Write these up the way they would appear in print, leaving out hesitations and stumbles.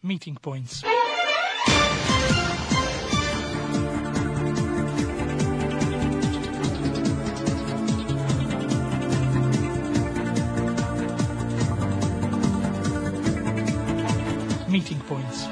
Meeting points. Meeting points.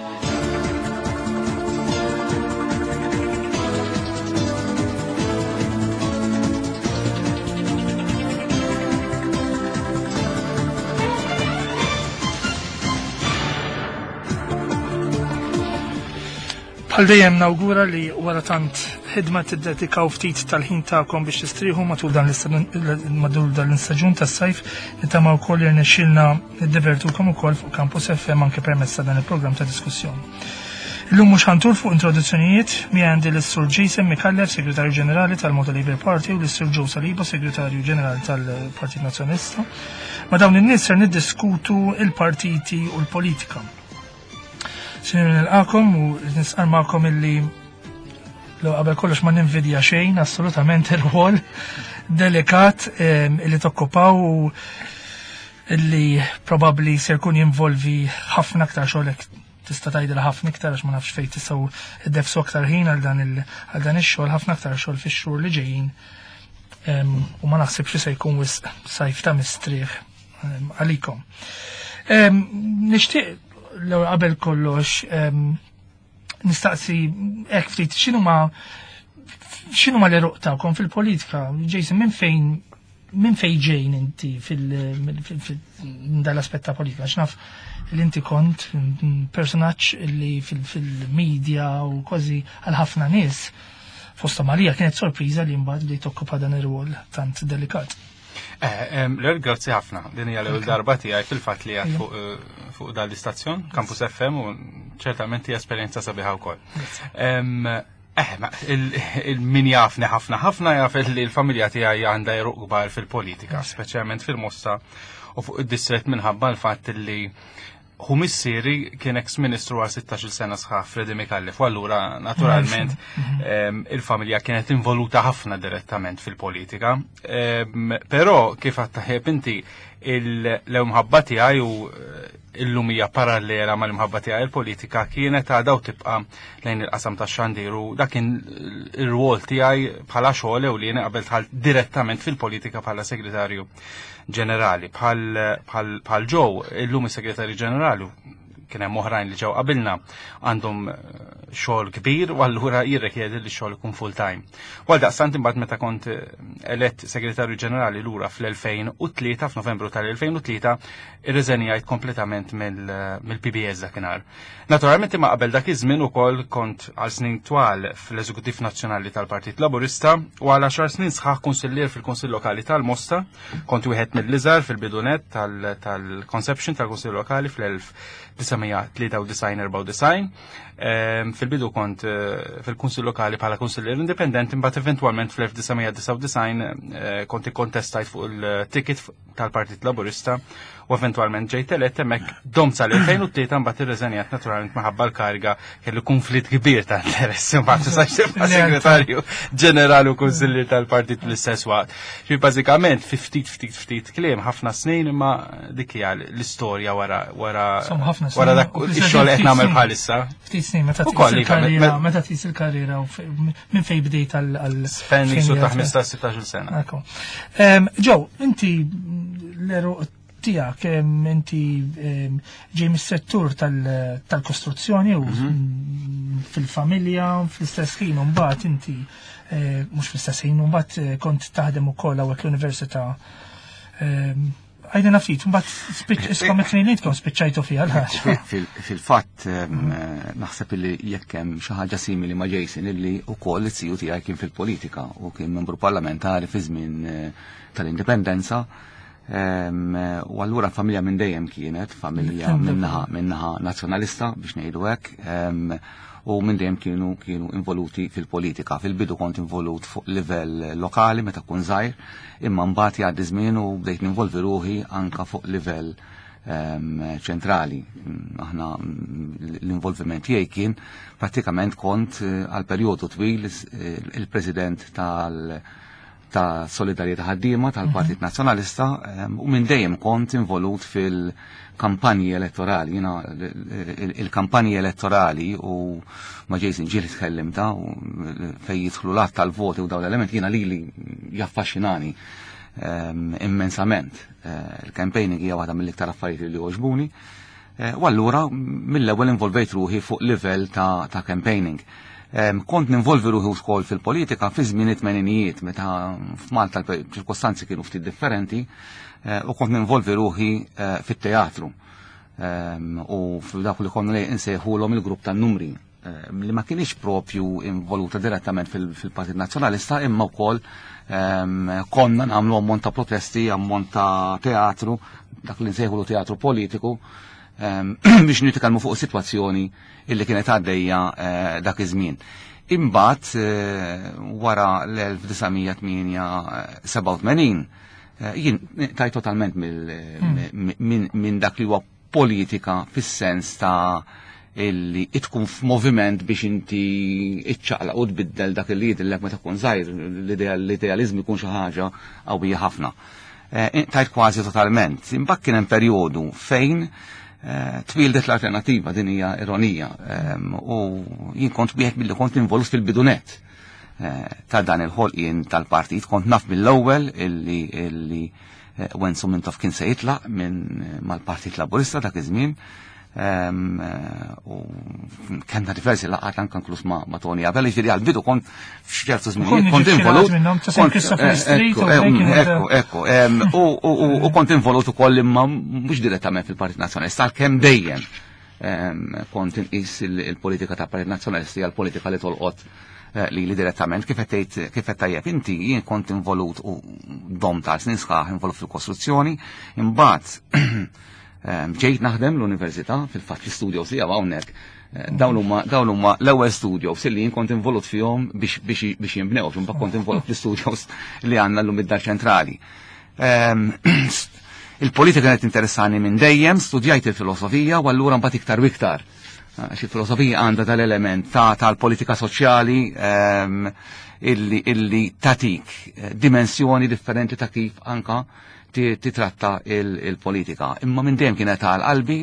Bħal dejjem nawgura li wara tant ħidma tiddedikaw ftit tal-ħin tagħkom biex tistrieħu matul dan l-istaġun tas-sajf nittama wkoll irnexxielna niddivertukom ukoll fuq Campus FM anke permezz ta' dan il-programm ta' diskussjoni. Illum mhux ħantur fuq introduzzjonijiet mi għandi l-Sur Jason Micallef, Segretarju Ġenerali tal-Malta Labour Party u l-Sur Joe Saliba, Segretarju Ġenerali tal-Partit Nazzjonalista. Ma dawn in-nies ser niddiskutu il-partiti u l-politika. Sinjuri nilqakom u nisqar magħkom illi l qabel kollox ma ninvidja xejn assolutament ir-rwol delikat ehm, illi tokkupaw u illi probabbli ser jkun jinvolvi ħafna aktar xogħol tista' tgħidilha ħafna iktar għax ma nafx fejn tistgħu ddefsu aktar ħin għal dan għal dan ix-xogħol ħafna aktar xogħol fix-xhur li ġejjin u ma naħsibx li se jkun wisq sajf ta' mistrieħ għalikom. Nixtieq l qabel kollox nistaqsi hekk ftit x'inhu ma x'inhu ma l-eruq tagħkom fil-politika? Jason, minn fejn minn fejn ġejn inti fil-dal-aspett ta' politika? X'naf li inti kont personaġġ li fil-medja u kważi għal ħafna nies fosta Marija kienet sorpriża li mbagħad bdejt tokkupa dan ir-rwol tant delikat. Eh, l grazzi ħafna. Din hija l-ewwel darba tiegħi fil-fatt li għad fuq eh, fuq dan l-istazzjon, Campus FM, u ċertament hija esperjenza sabiħa wkoll. Eh, il-min jafni ħafna ħafna jaf li l-familja tiegħi għandha jeruq kbar fil-politika, speċjalment fil-Mosta u fuq id-distret minħabba l-fatt li hu missieri kien ex-ministru għal 16 sena sħaħ Freddy Micallef u allura naturalment mhm. il-familja kienet involuta ħafna direttament fil-politika. Però kif għattaħeb inti l-imħabba tiegħi u eh, illum hija parallela mal-imħabba tiegħi il-politika kienet għadha u tibqa' lejn il-qasam tax-xandir u dak kien ir-rwol tiegħi bħala xogħol ewlieni qabel dħalt direttament fil-politika bħala segretarju ġenerali. Bħal ġew illum is-segretarju ġenerali kien hemm oħrajn li ġew qabilna għandhom eh, xogħol kbir u allura jirrikjedi li xogħol ikun full time. U għal daqstant imbagħad meta kont eh, elett segretarju ġenerali lura fl-2003 f'Novembru tal-2003 irriżenjajt kompletament mill-PBS dakinhar. Naturalment imma qabel dak iż-żmien ukoll kont għal snin twal fl-Eżekuttiv Nazzjonali tal-Partit Laburista u għal għaxar snin sħaħ kunsillier fil-Kunsill Lokali tal-Mosta, kont wieħed mill-iżgħar fil-bidunet tal-conception tal-Kunsill Lokali fl-1993-94. Ehm, fil-bidu kont eh, fil-Kunsill Lokali bħala kunsillier indipendenti, imbagħad eventwalment fl-1999 eh, kont ikkontestajt fuq il-ticket tal-Partit Laburista u eventwalment ġejt elett hemmhekk dom sal-2003 mbagħad irreżenjat naturalment minħabba l-kariga kellu konflitt kbir ta' interessi mbagħad tistax tibqa' segretarju ġenerali u kunsillier tal-partit fl-istess waqt. Ġifieri bażikament fi ftit ftit ftit kliem ħafna snin imma dik hija l-istorja wara wara wara dak ix-xogħol qed nagħmel bħalissa. Ftit snin meta tqis il-karriera, meta tqis il-karriera minn fejn bdejt għal. Spen jisu ta' 15-16 sena. Ġew, inti l-eruq tiegħek inti ġej mis-settur tal-kostruzzjoni u mhm. fil-familja fl-istess ħin u mbagħad inti eh, mhux fl-istess ħin u mbagħad eh, kont taħdem ukoll hawnhekk l-università Għajdi naftit, mbagħad iskom it-tnejn li tkun spiċċajtu fiha l-ħaġa. Fil-fatt naħseb li jekk hemm xi ħaġa simili ma' Jason illi wkoll it-siju tiegħi kien fil-politika u kien membru parlamentari fi żmien eh, tal-indipendenza. U allura familja minn dejjem kienet familja minnaħa minnaħa nazzjonalista biex ngħidu hekk u minn dejjem kienu kienu involuti fil-politika. Fil-bidu kont involut fuq livell lokali meta kun żgħir, imma mbagħad jgħaddi żmien u bdejt ninvolvi ruħi anka fuq livell ehm, ċentrali. Aħna l-involviment tiegħi kien prattikament kont eh, għal perjodu twil eh, il-president tal- ta' Solidarjetà Ħaddiema tal-Partit Nazzjonalista u minn dejjem kont involut fil-kampanji elettorali. Jiena il-kampanji elettorali u ma' Jason ġieli tkellimta u fejn jidħlu l-att tal-voti u dawn l-elementi jiena lili jaffaxxinani immensament. Il-campaigning hija waħda mill-iktar affarijiet li jogħġbuni. U allura mill-ewwel involvejt ruħi fuq livell ta' campaigning. Kont ninvolvi ruħi wkoll fil-politika fi żmien it-tmeninijiet meta f'Malta l-ċirkostanzi kienu ftit differenti u kont ninvolvi ruħi fit-teatru. U f'dak li konna insejħulhom il-grupp tan-numri li ma kienx propju involuta direttament fil-Partit Nazzjonalista imma wkoll konna nagħmlu ammont ta' protesti, ammont ta' teatru, dak li nsejħulu teatru politiku, biex nitkellmu fuq sitwazzjoni illi kienet għaddejja dak iż-żmien. Imbagħad wara l-1987 jien tajt totalment minn dak li huwa politika fis-sens ta' illi tkun f'moviment biex inti iċċaqlaq u tbiddel dak li jidhirlek meta tkun żgħir, l-idealiżmu jkun xi ħaġa qawwija ħafna. Tajt kważi totalment. Imbagħad kien hemm perjodu fejn twieldet l-Alternattiva, din hija ironija, u jien kont wieħed milli kont involut fil-bidunet ta' dan il-ħolqien tal-partit, kont naf mill-ewwel illi Wenzu Mintoff kien se jitlaq minn mal-Partit Laburista dak iż-żmien. U kellna diversi laqgħat anke inkluż ma' Tony Abela, jiġifieri għall-bidu kont f'ċertu żminijiet kont involut. Ekku, u kont involut ukoll imma mhux direttament fil-Partit Nazzjonalista, għalkemm dejjem kont inqis il-politika ta' Partit Nazzjonalista hija l-politika li tolqot li li direttament kif qed tgħid kif qed tajjeb inti jien kont involut u dom ta' snin sħaħ involut fil-kostruzzjoni, imbagħad ġejt naħdem l-università fil-fatt l-istudio tiegħu hawnhekk. Dawn huma l-ewwel studios li jien kont involut fihom biex jinbnew, imbagħad kont involut fl-studios li għandna llum id-dar ċentrali. Il-politika kienet interessani minn dejjem, studjajt il-filosofija u allura mbagħad iktar u iktar. Għax il-filosofija għandha dal-element tal-politika soċjali illi tatik dimensjoni differenti ta' kif anka titratta il-politika. Imma minn dejjem kienet għal qalbi,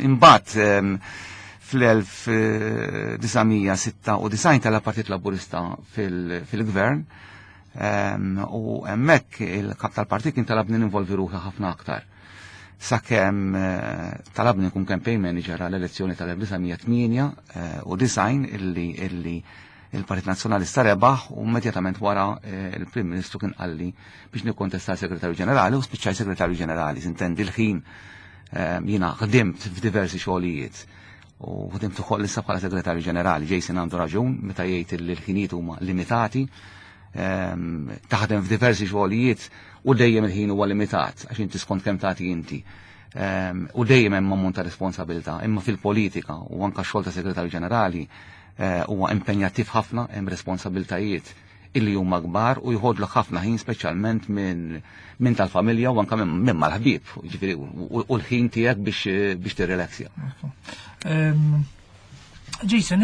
imbagħad fl-1996 tal-Partit Laburista fil-gvern u hemmhekk il-kap tal-partit kien talabni ninvolvi ruħi ħafna aktar. Sakemm talabni nkun campaign manager għall-elezzjoni tal-1998 illi il-Partit Nazzjonalista rebaħ u immedjatament wara il-Prim Ministru kien qalli biex nikkontesta segretarju ġenerali u spiċċaj segretarju ġenerali. Sintendi l-ħin jiena ħdimt f'diversi xogħlijiet u ħdimt ukoll issa bħala segretarju ġenerali. Jason għandu raġun meta jgħid li l-ħinijiet huma limitati, taħdem f'diversi xogħlijiet u dejjem il-ħin huwa limitat għax inti skont kemm tagħti inti. U dejjem hemm ammont ta' responsabilità, imma fil-politika u anke x-xogħol ta' segretarju ġenerali huwa impenjattiv ħafna, hemm responsabiltajiet illi huma kbar u jħodlok ħafna ħin speċjalment minn tal-familja u anke minn mal-ħbieb, jiġifieri u l-ħin tiegħek biex tirrelaxja. Jason,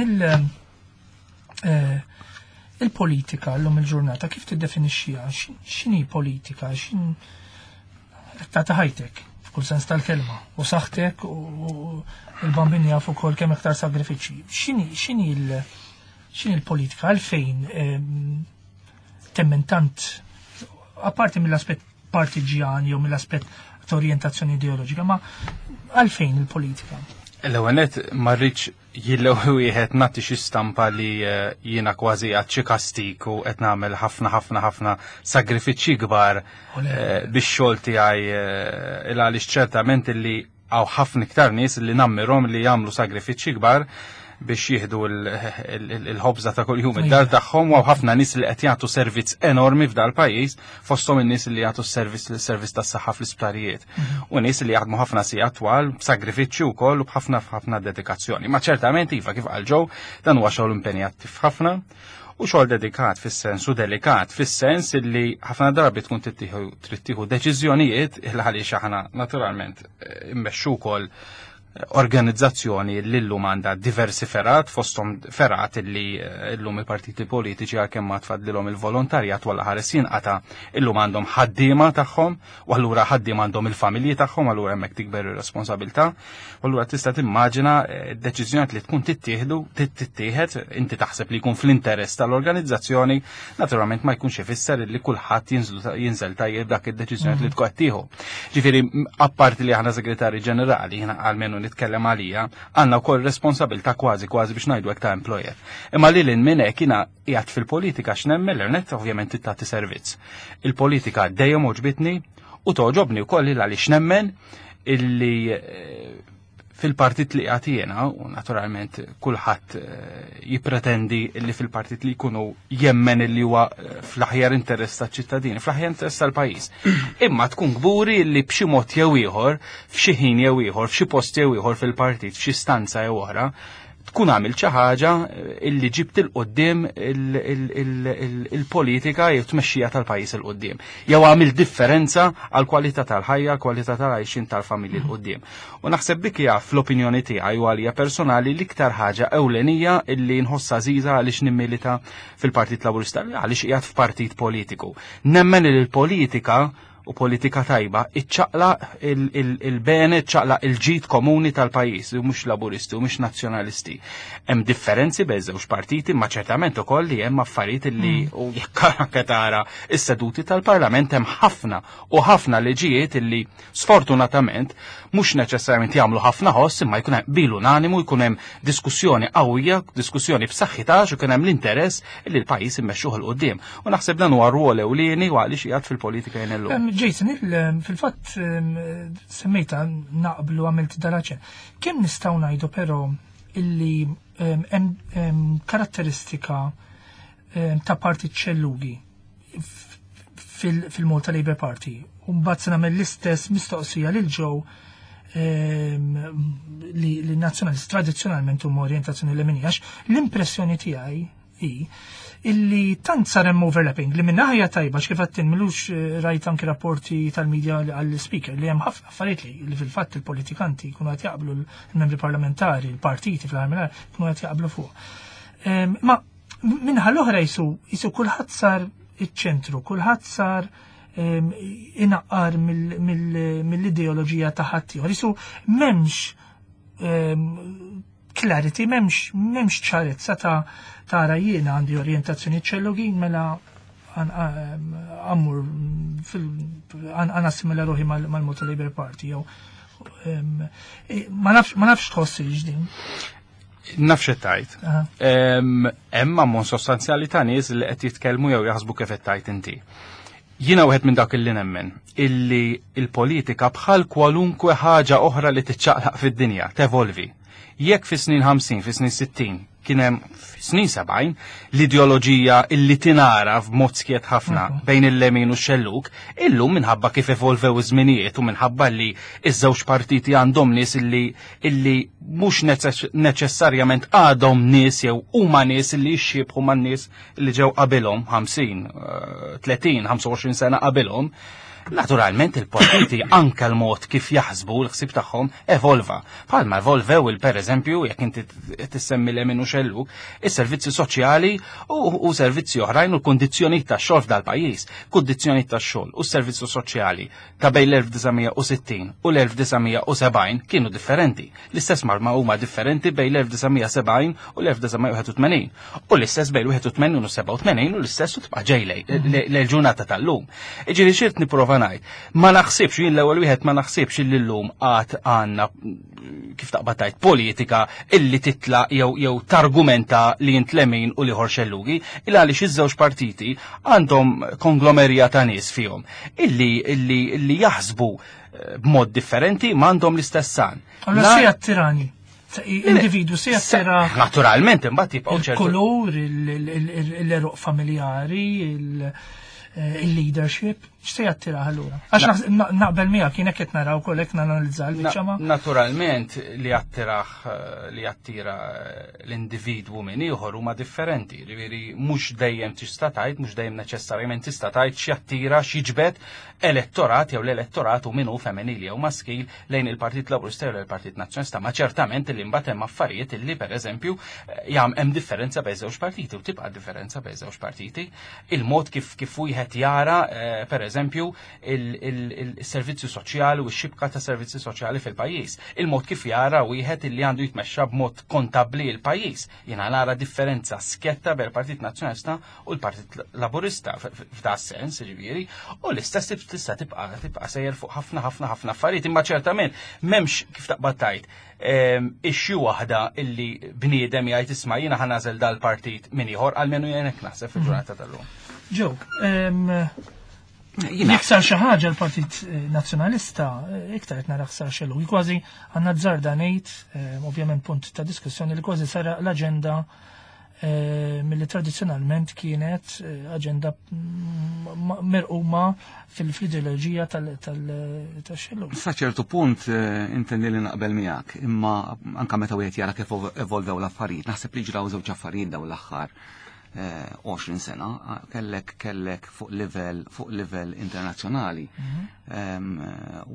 il-politika llum il-ġurnata kif tiddefinixxiha? X'inhi politika? X'in ta' ħajtek f'kull sens tal-kelma u saħħtek u il-bambin jafu ukoll kemm iktar sagrifiċċji. X'inhi l-politika? Għalfejn temmen tant, apparti mill-aspett partiġjan jew mill-aspett ta' orjentazzjoni ideoloġika, ma għalfejn il-politika? L-ewwel nett ma rridx jillew wieħed nagħti xi stampa li jiena kważi għad xi kastik u qed nagħmel ħafna ħafna ħafna sagrifiċċji kbar biex xogħol tiegħi il għaliex ċertament illi hawn ħafna iktar nies li nammirhom li jagħmlu sagrifiċċji kbar biex jieħdu il-ħobża ta' kuljum id-dar tagħhom, u ħafna nies li qed jagħtu servizz enormi f'dal pajjiż, fosthom in-nies li jagħtu s-servizz tas-saħħa fl-isptarijiet. U nies li jaħdmu ħafna sigħat twal b'sagrifiċċju wkoll u b'ħafna ħafna dedikazzjoni. Ma ċertament iva kif qal Joe, dan huwa xogħol impenjattiv ħafna u xogħol dedikat fis-sens u delikat fis-sens illi ħafna drabi tkun trid tieħu deċiżjonijiet il għaliex aħna naturalment immexxu wkoll Organizzazzjoni li llum għandha diversi fergħat, fosthom fergħat li llum il-partiti politiċi għalkemm ma tfadlilhom il-volontarjat walla ħares jinqata' illum għandhom ħaddiema tagħhom u allura ħaddiema għandhom il-familji tagħhom, allura hemmhekk tikber ir-responsabilità. U allura tista' timmaġina deċiżjoni li tkun tittieħdu tittieħed inti taħseb li jkun fl-interess tal-organizzazzjoni, naturalment ma jkunx ifisser li kulħadd jinżel tajjeb dak id-deċiżjoni li tkun qed tieħu. Ġifieri apparti li aħna segretarji ġenerali, jiena almenu nitkellem għalija, għandna wkoll responsabilità kważi kważi biex ngħidu hekk ta' employer. Imma lil hinn minn hekk jiena qiegħed fil-politika x'nemmen l-net ovvjament tagħti servizz. Il-politika dejjem għoġbitni u toġobni wkoll għaliex nemmen illi fil-partit li qiegħed jiena, u naturalment kulħadd jippretendi li fil-partit li jkunu jemmen li huwa fl-aħjar interess taċ-ċittadini, fl-aħjar interess tal-pajjiż. Imma tkun kburi li b'xi mod jew ieħor, f'xi ħin jew ieħor, f'xi post jew ieħor fil-partit, f'xi stanza jew oħra, tkun għamil xi ħaġa illi ġibt il qudiem il-politika jew tmexxija tal-pajjiż il quddiem. Jew għamil differenza għal kwalità tal-ħajja, kwalità tal-għajxin tal-familji l quddiem. U naħseb dik hija fl-opinjoni tiegħi u għalija personali l-iktar ħaġa ewlenija illi nħossha għażiża għaliex nimmilita fil-Partit Laburista, għaliex qiegħed f'partit politiku. Nemmen li l-politika u politika tajba iċċaqlaq il-bene, iċċaqlaq il-ġid komuni tal-pajjiż, u mhux laburisti u mhux nazzjonalisti. Hemm differenzi bejn żewġ partiti, ma ċertament ukoll li hemm affarijiet li u jekk anke tara is-seduti tal-Parlament hemm ħafna u ħafna liġijiet illi sfortunatament mhux neċessarjament jagħmlu ħafna ħoss imma jkun hemm qbil unanimu, jkun hemm diskussjoni qawwija, diskussjoni b'saħħitha għax ikun hemm l-interess li l-pajjiż immexxuh 'il quddiem. U naħseb dan huwa rwol ewlieni u għaliex qiegħed fil-politika jien illum. Jason, fil-fatt semmejta naqblu għamilt dal-aċen. Kemm nistgħu ngħidu però illi hemm karatteristika ta' partit xellugi fil-Malta Labour Party. U mbagħad se nagħmel l-istess mistoqsija lil Joe li nazzjonalist tradizzjonalment huma orjentazzjoni leminija, għax l-impressjoni tiegħi hi illi tant sar hemm overlapping li minn naħa tajba kif qed tinmilux rajt anki rapporti tal-medja għall-speaker li hemm ħafna affarijiet li fil-fatt il-politikanti jkunu qed jaqblu l-membri parlamentari, l-partiti fl-aħħar jkunu qed jaqblu fuq. Ma minħa l-oħra jisu kulħadd sar iċ-ċentru, kulħadd sar inaqqar mill-ideoloġija ta' ħaddieħor. Jisu m'hemmx clarity, m'hemmx ċarezza ta' tara jiena għandi orjentazzjoni ċellugin mela għammur għan assimila ruħi mal-Malta Labour Party jew ma nafx tħossi ġdin. Nafx qed tgħid. Hemm ammont sostanzjali ta' nies li qed jitkellmu jew jaħsbu kif qed tgħid inti. Jiena wieħed minn dak illi nemmen illi il-politika bħal kwalunkwe ħaġa oħra li tiċċaqlaq fid-dinja, tevolvi. Jekk fi snin 50, fi snin 60, kien hemm fi snin 70 l-ideoloġija illi tinara f'mod skiet ħafna bejn il-lemin u x-xellug, illum minħabba kif evolvew iż-żminijiet u minħabba li iż-żewġ partiti għandhom nies illi mhux neċessarjament għadhom nies jew huma nies illi jixxiebħu man-nies li ġew qabilhom 50, 30, 25 sena qabilhom. Naturalment il-partiti anke l-mod kif jaħsbu l-ħsieb tagħhom evolva. Palma evolvew il per eżempju, jekk inti tissemmi lemin u xellug, is-servizzi soċjali u servizzi oħrajn u l-kundizzjonijiet tax-xogħol f'dal-pajjiż. Kundizzjonijiet tax-xogħol u s-servizzi soċjali ta' bejn l-1960 u l-1970 kienu differenti. L-istess marma huma differenti bejn l-1970 u l-1981. U l-istess bejn l-81 u 87 u l-istess u tibqa' ġej lejl-ġurnata tal-lum. Iġifieri xirt nipprova ngħid, ma naħsibx jien l-ewwel wieħed ma naħsibx li llum għad għandna kif taqbad tgħid politika illi titla jew targumenta li int lemin u liħor xellugi, illa għaliex iż-żewġ partiti għandhom konglomerija ta' nies fihom illi jaħsbu b'mod differenti ma għandhom l-istess san. Allora si attirani. Individu si attira. Naturalment, imbagħad jibqgħu ċertu. Il-kulur, l-eruq familjari, il-leadership. X'se jattirah allura? Għax naqbel miegħek jien hekk qed naraw ukoll hekk nanalizza l-biċċa ma. Naturalment li jattirah eh, li jattira eh, l-individwu minn ieħor huma differenti, ġifieri mhux dejjem tista' tgħid, mhux dejjem neċessarjament tista' tgħid x'jattira x'jiġbed elettorat jew l-elettorat u min hu femminili jew maskil lejn il-Partit Laburista jew il-Partit Nazzjonalista, ma ċertament li mbagħad hemm affarijiet illi pereżempju eh, jam hemm differenza bejn żewġ partiti u tibqa' differenza bejn żewġ partiti. Il-mod kif kif wieħed jara eh, pereżempju il-servizzi soċjali u x-xibka ta' servizzi soċjali fil-pajjiż. Il-mod kif jara wieħed illi għandu jitmexxa b'mod kontabbli l-pajjiż. Jiena nara differenza sketta bejn il-Partit Nazzjonalista u l-Partit Laburista f'da sens, ġifieri, u l-istess tista' tibqa' tibqa' sejjer fuq ħafna ħafna ħafna affarijiet, imma ċertament m'hemmx kif taqbad tgħid issue waħda illi bniedem jgħid isma' jiena ħa nagħżel dal-partit minn ieħor, almenu jien hekk naħseb fil-ġurnata tal-lum. Ġew, jekk sar xi ħaġa l-Partit eh, Nazzjonalista, eh, iktar qed nara sar xelu. Kważi għandna żarda ngħid, eh, ovvjament punt ta' diskussjoni li kważi sara l-aġenda milli tradizzjonalment kienet aġenda mirquma fil-ideoloġija tal-xellu. Sa ċertu punt intendi li naqbel miegħek, imma anka meta wieħed jara kif evolvew l-affarijiet, naħseb li ġraw żewġ affarijiet dawn l-aħħar 20 sena, kellek kellek fuq livell fuq livell internazzjonali mhm.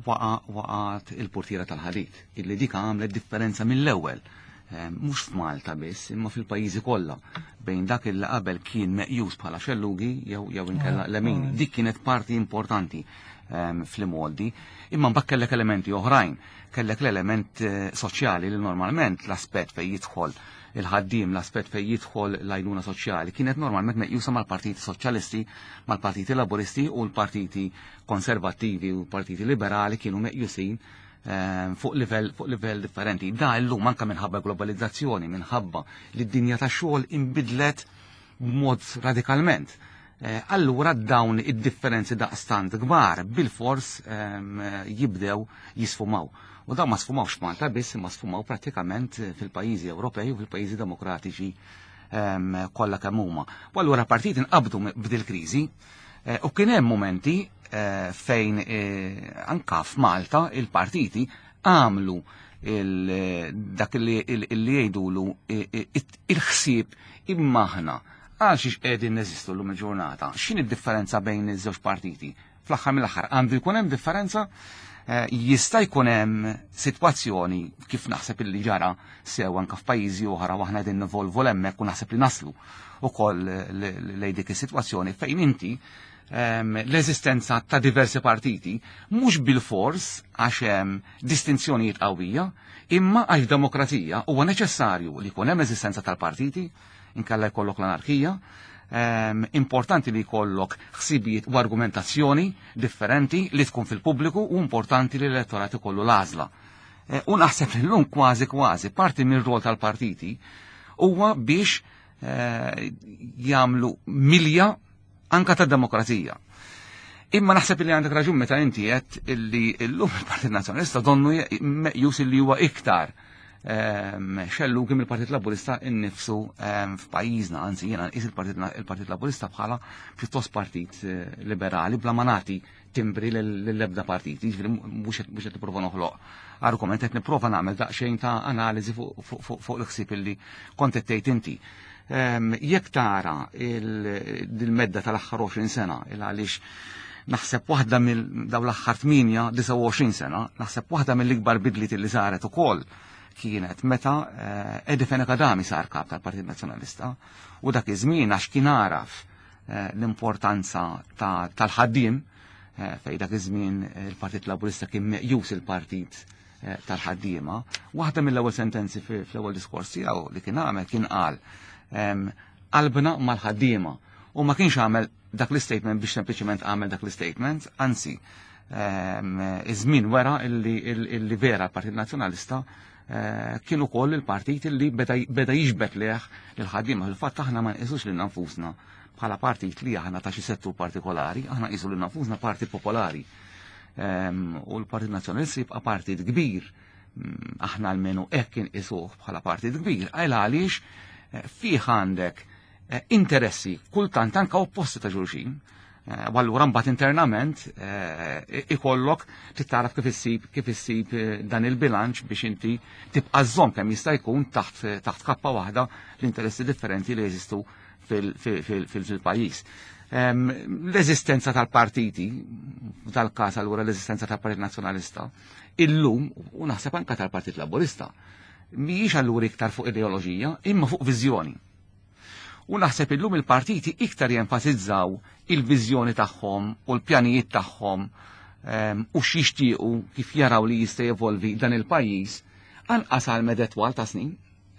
waqa waqat il-portiera tal-ħadid illi dik għamlet differenza mill-ewwel mhux f'Malta biss, imma fil-pajjiżi kollha bejn dak il qabel kien meqjus bħala xellugi jew jew inkella ah, lemini. Ah. Dik kienet parti importanti fl-imgħoddi, imma mbagħad kellek elementi oħrajn, kellek l-element eh, soċjali li normalment l-aspett fejn jidħol il-ħaddiem, l-aspett fejn jidħol l-għajnuna soċjali kienet normalment meqjusa mal-partiti soċjalisti, mal-partiti laburisti u l-partiti konservattivi u l-partiti liberali kienu meqjusin fuq livell fuq livell differenti. Da llum anke minħabba globalizzazzjoni, minħabba li d-dinja tax-xogħol inbidlet b'mod radikalment. Eh, allura dawn id-differenzi daqstant kbar bil-fors ehm, jibdew jisfumaw. U dawn ma sfumawx Malta biss, imma sfumaw prattikament fil-pajjiżi Ewropej u fil-pajjiżi demokratiċi ehm, kollha kemm huma. U allura partit inqabdu b'dil kriżi eh, u kien hemm momenti eh, fejn anka f'Malta il-partiti għamlu dak li jgħidulu il-ħsieb imma aħna għal xiex qegħdin neżistu llum il-ġurnata. X'inhi d-differenza bejn iż-żewġ partiti? Fl-aħħar mill-aħħar għandu jkun hemm differenza eh, jista' jkun hemm sitwazzjoni kif naħseb illi ġara sew anke f'pajjiżi oħra u aħna qegħdin nivolvu hemmhekk u naħseb li naslu ukoll lejn dik is-sitwazzjoni fejn inti ehm, l-eżistenza ta' diversi partiti mhux bil-fors għax hemm distinzjonijiet qawwija, imma għax demokrazija huwa neċessarju li jkun hemm eżistenza tal-partiti inkella jkollok l-anarkija. Ehm, importanti li jkollok ħsibijiet u argumentazzjoni differenti li tkun fil-pubbliku u importanti li l-elettorat ikollu l-għażla. Eh, u naħseb li llum kważi kważi parti mir-rol tal-partiti huwa biex eh, jagħmlu milja anka ta' demokrazija. Imma naħseb li għandek raġun meta inti qed illi llum il-Partit Nazzjonalista donnu meqjus illi huwa iktar ehm, xellu kim il-Partit Laburista innifsu ehm, f'pajjiżna, anzi jiena nqis il-Partit Laburista bħala pjuttost partit eh, liberali bla ma nagħti timbri lill-ebda partit, jiġifieri mhux qed nipprova noħloq argument qed nipprova nagħmel daqsxejn ta' analiżi fuq l-ħsieb illi kont qed tgħid inti. Ehm, jekk tara il-medda tal-aħħar 20 sena, il għaliex naħseb waħda mill daw l-aħħar 8-29 sena, naħseb waħda mill-ikbar bidliet li saret ukoll kienet meta eh, Eddie Fenech Adami sar kap tal-Partit Nazzjonalista u dak iż-żmien għax kien għaraf eh, l-importanza tal-ħaddiem eh, fej dak iż-żmien il-Partit Laburista kien meqjus il-partit Eh, tal-ħaddiema, waħda mill-ewwel sentenzi fl-ewwel diskors tiegħu li kien għamel kien qal qalbna mal-ħaddiema u ma kienx għamel dak l-statement biex sempliċement għamel dak l-statement, anzi iż-żmien wera illi vera l-Partit Nazzjonalista eh, kien ukoll il-partit illi beda jiġbed leħ il-ħaddiema. Fil-fatt aħna ma nqisux lil nfusna bħala partit li aħna ta' xi settur partikolari, aħna nqisu lil nfusna partit popolari. U l-Partit Nazzjonalista jibqa' partit kbir mm, aħna almenu hekk inqisuh bħala partit kbir, għal għaliex eh, fih għandek eh, interessi kultant anka opposti ta' xulxin. U allura mbagħad internament ikollok tittaraf kif issib kif issib dan il-bilanċ biex inti tibqa' żżomm kemm jista' jkun taħt kappa waħda l-interessi differenti li jeżistu fil-pajjiż. L-eżistenza tal-partiti, tal-każ allura l-eżistenza tal-Partit Nazzjonalista, illum u naħseb anka tal-Partit Laburista, mhijiex allura iktar fuq ideoloġija, imma fuq viżjoni. U naħseb illum il-partiti iktar jenfasizzaw il-viżjoni tagħhom u l-pjanijiet tagħhom u x'jixtiequ kif jaraw li jista' jevolvi dan il-pajjiż anqas għal medda twal ta' snin.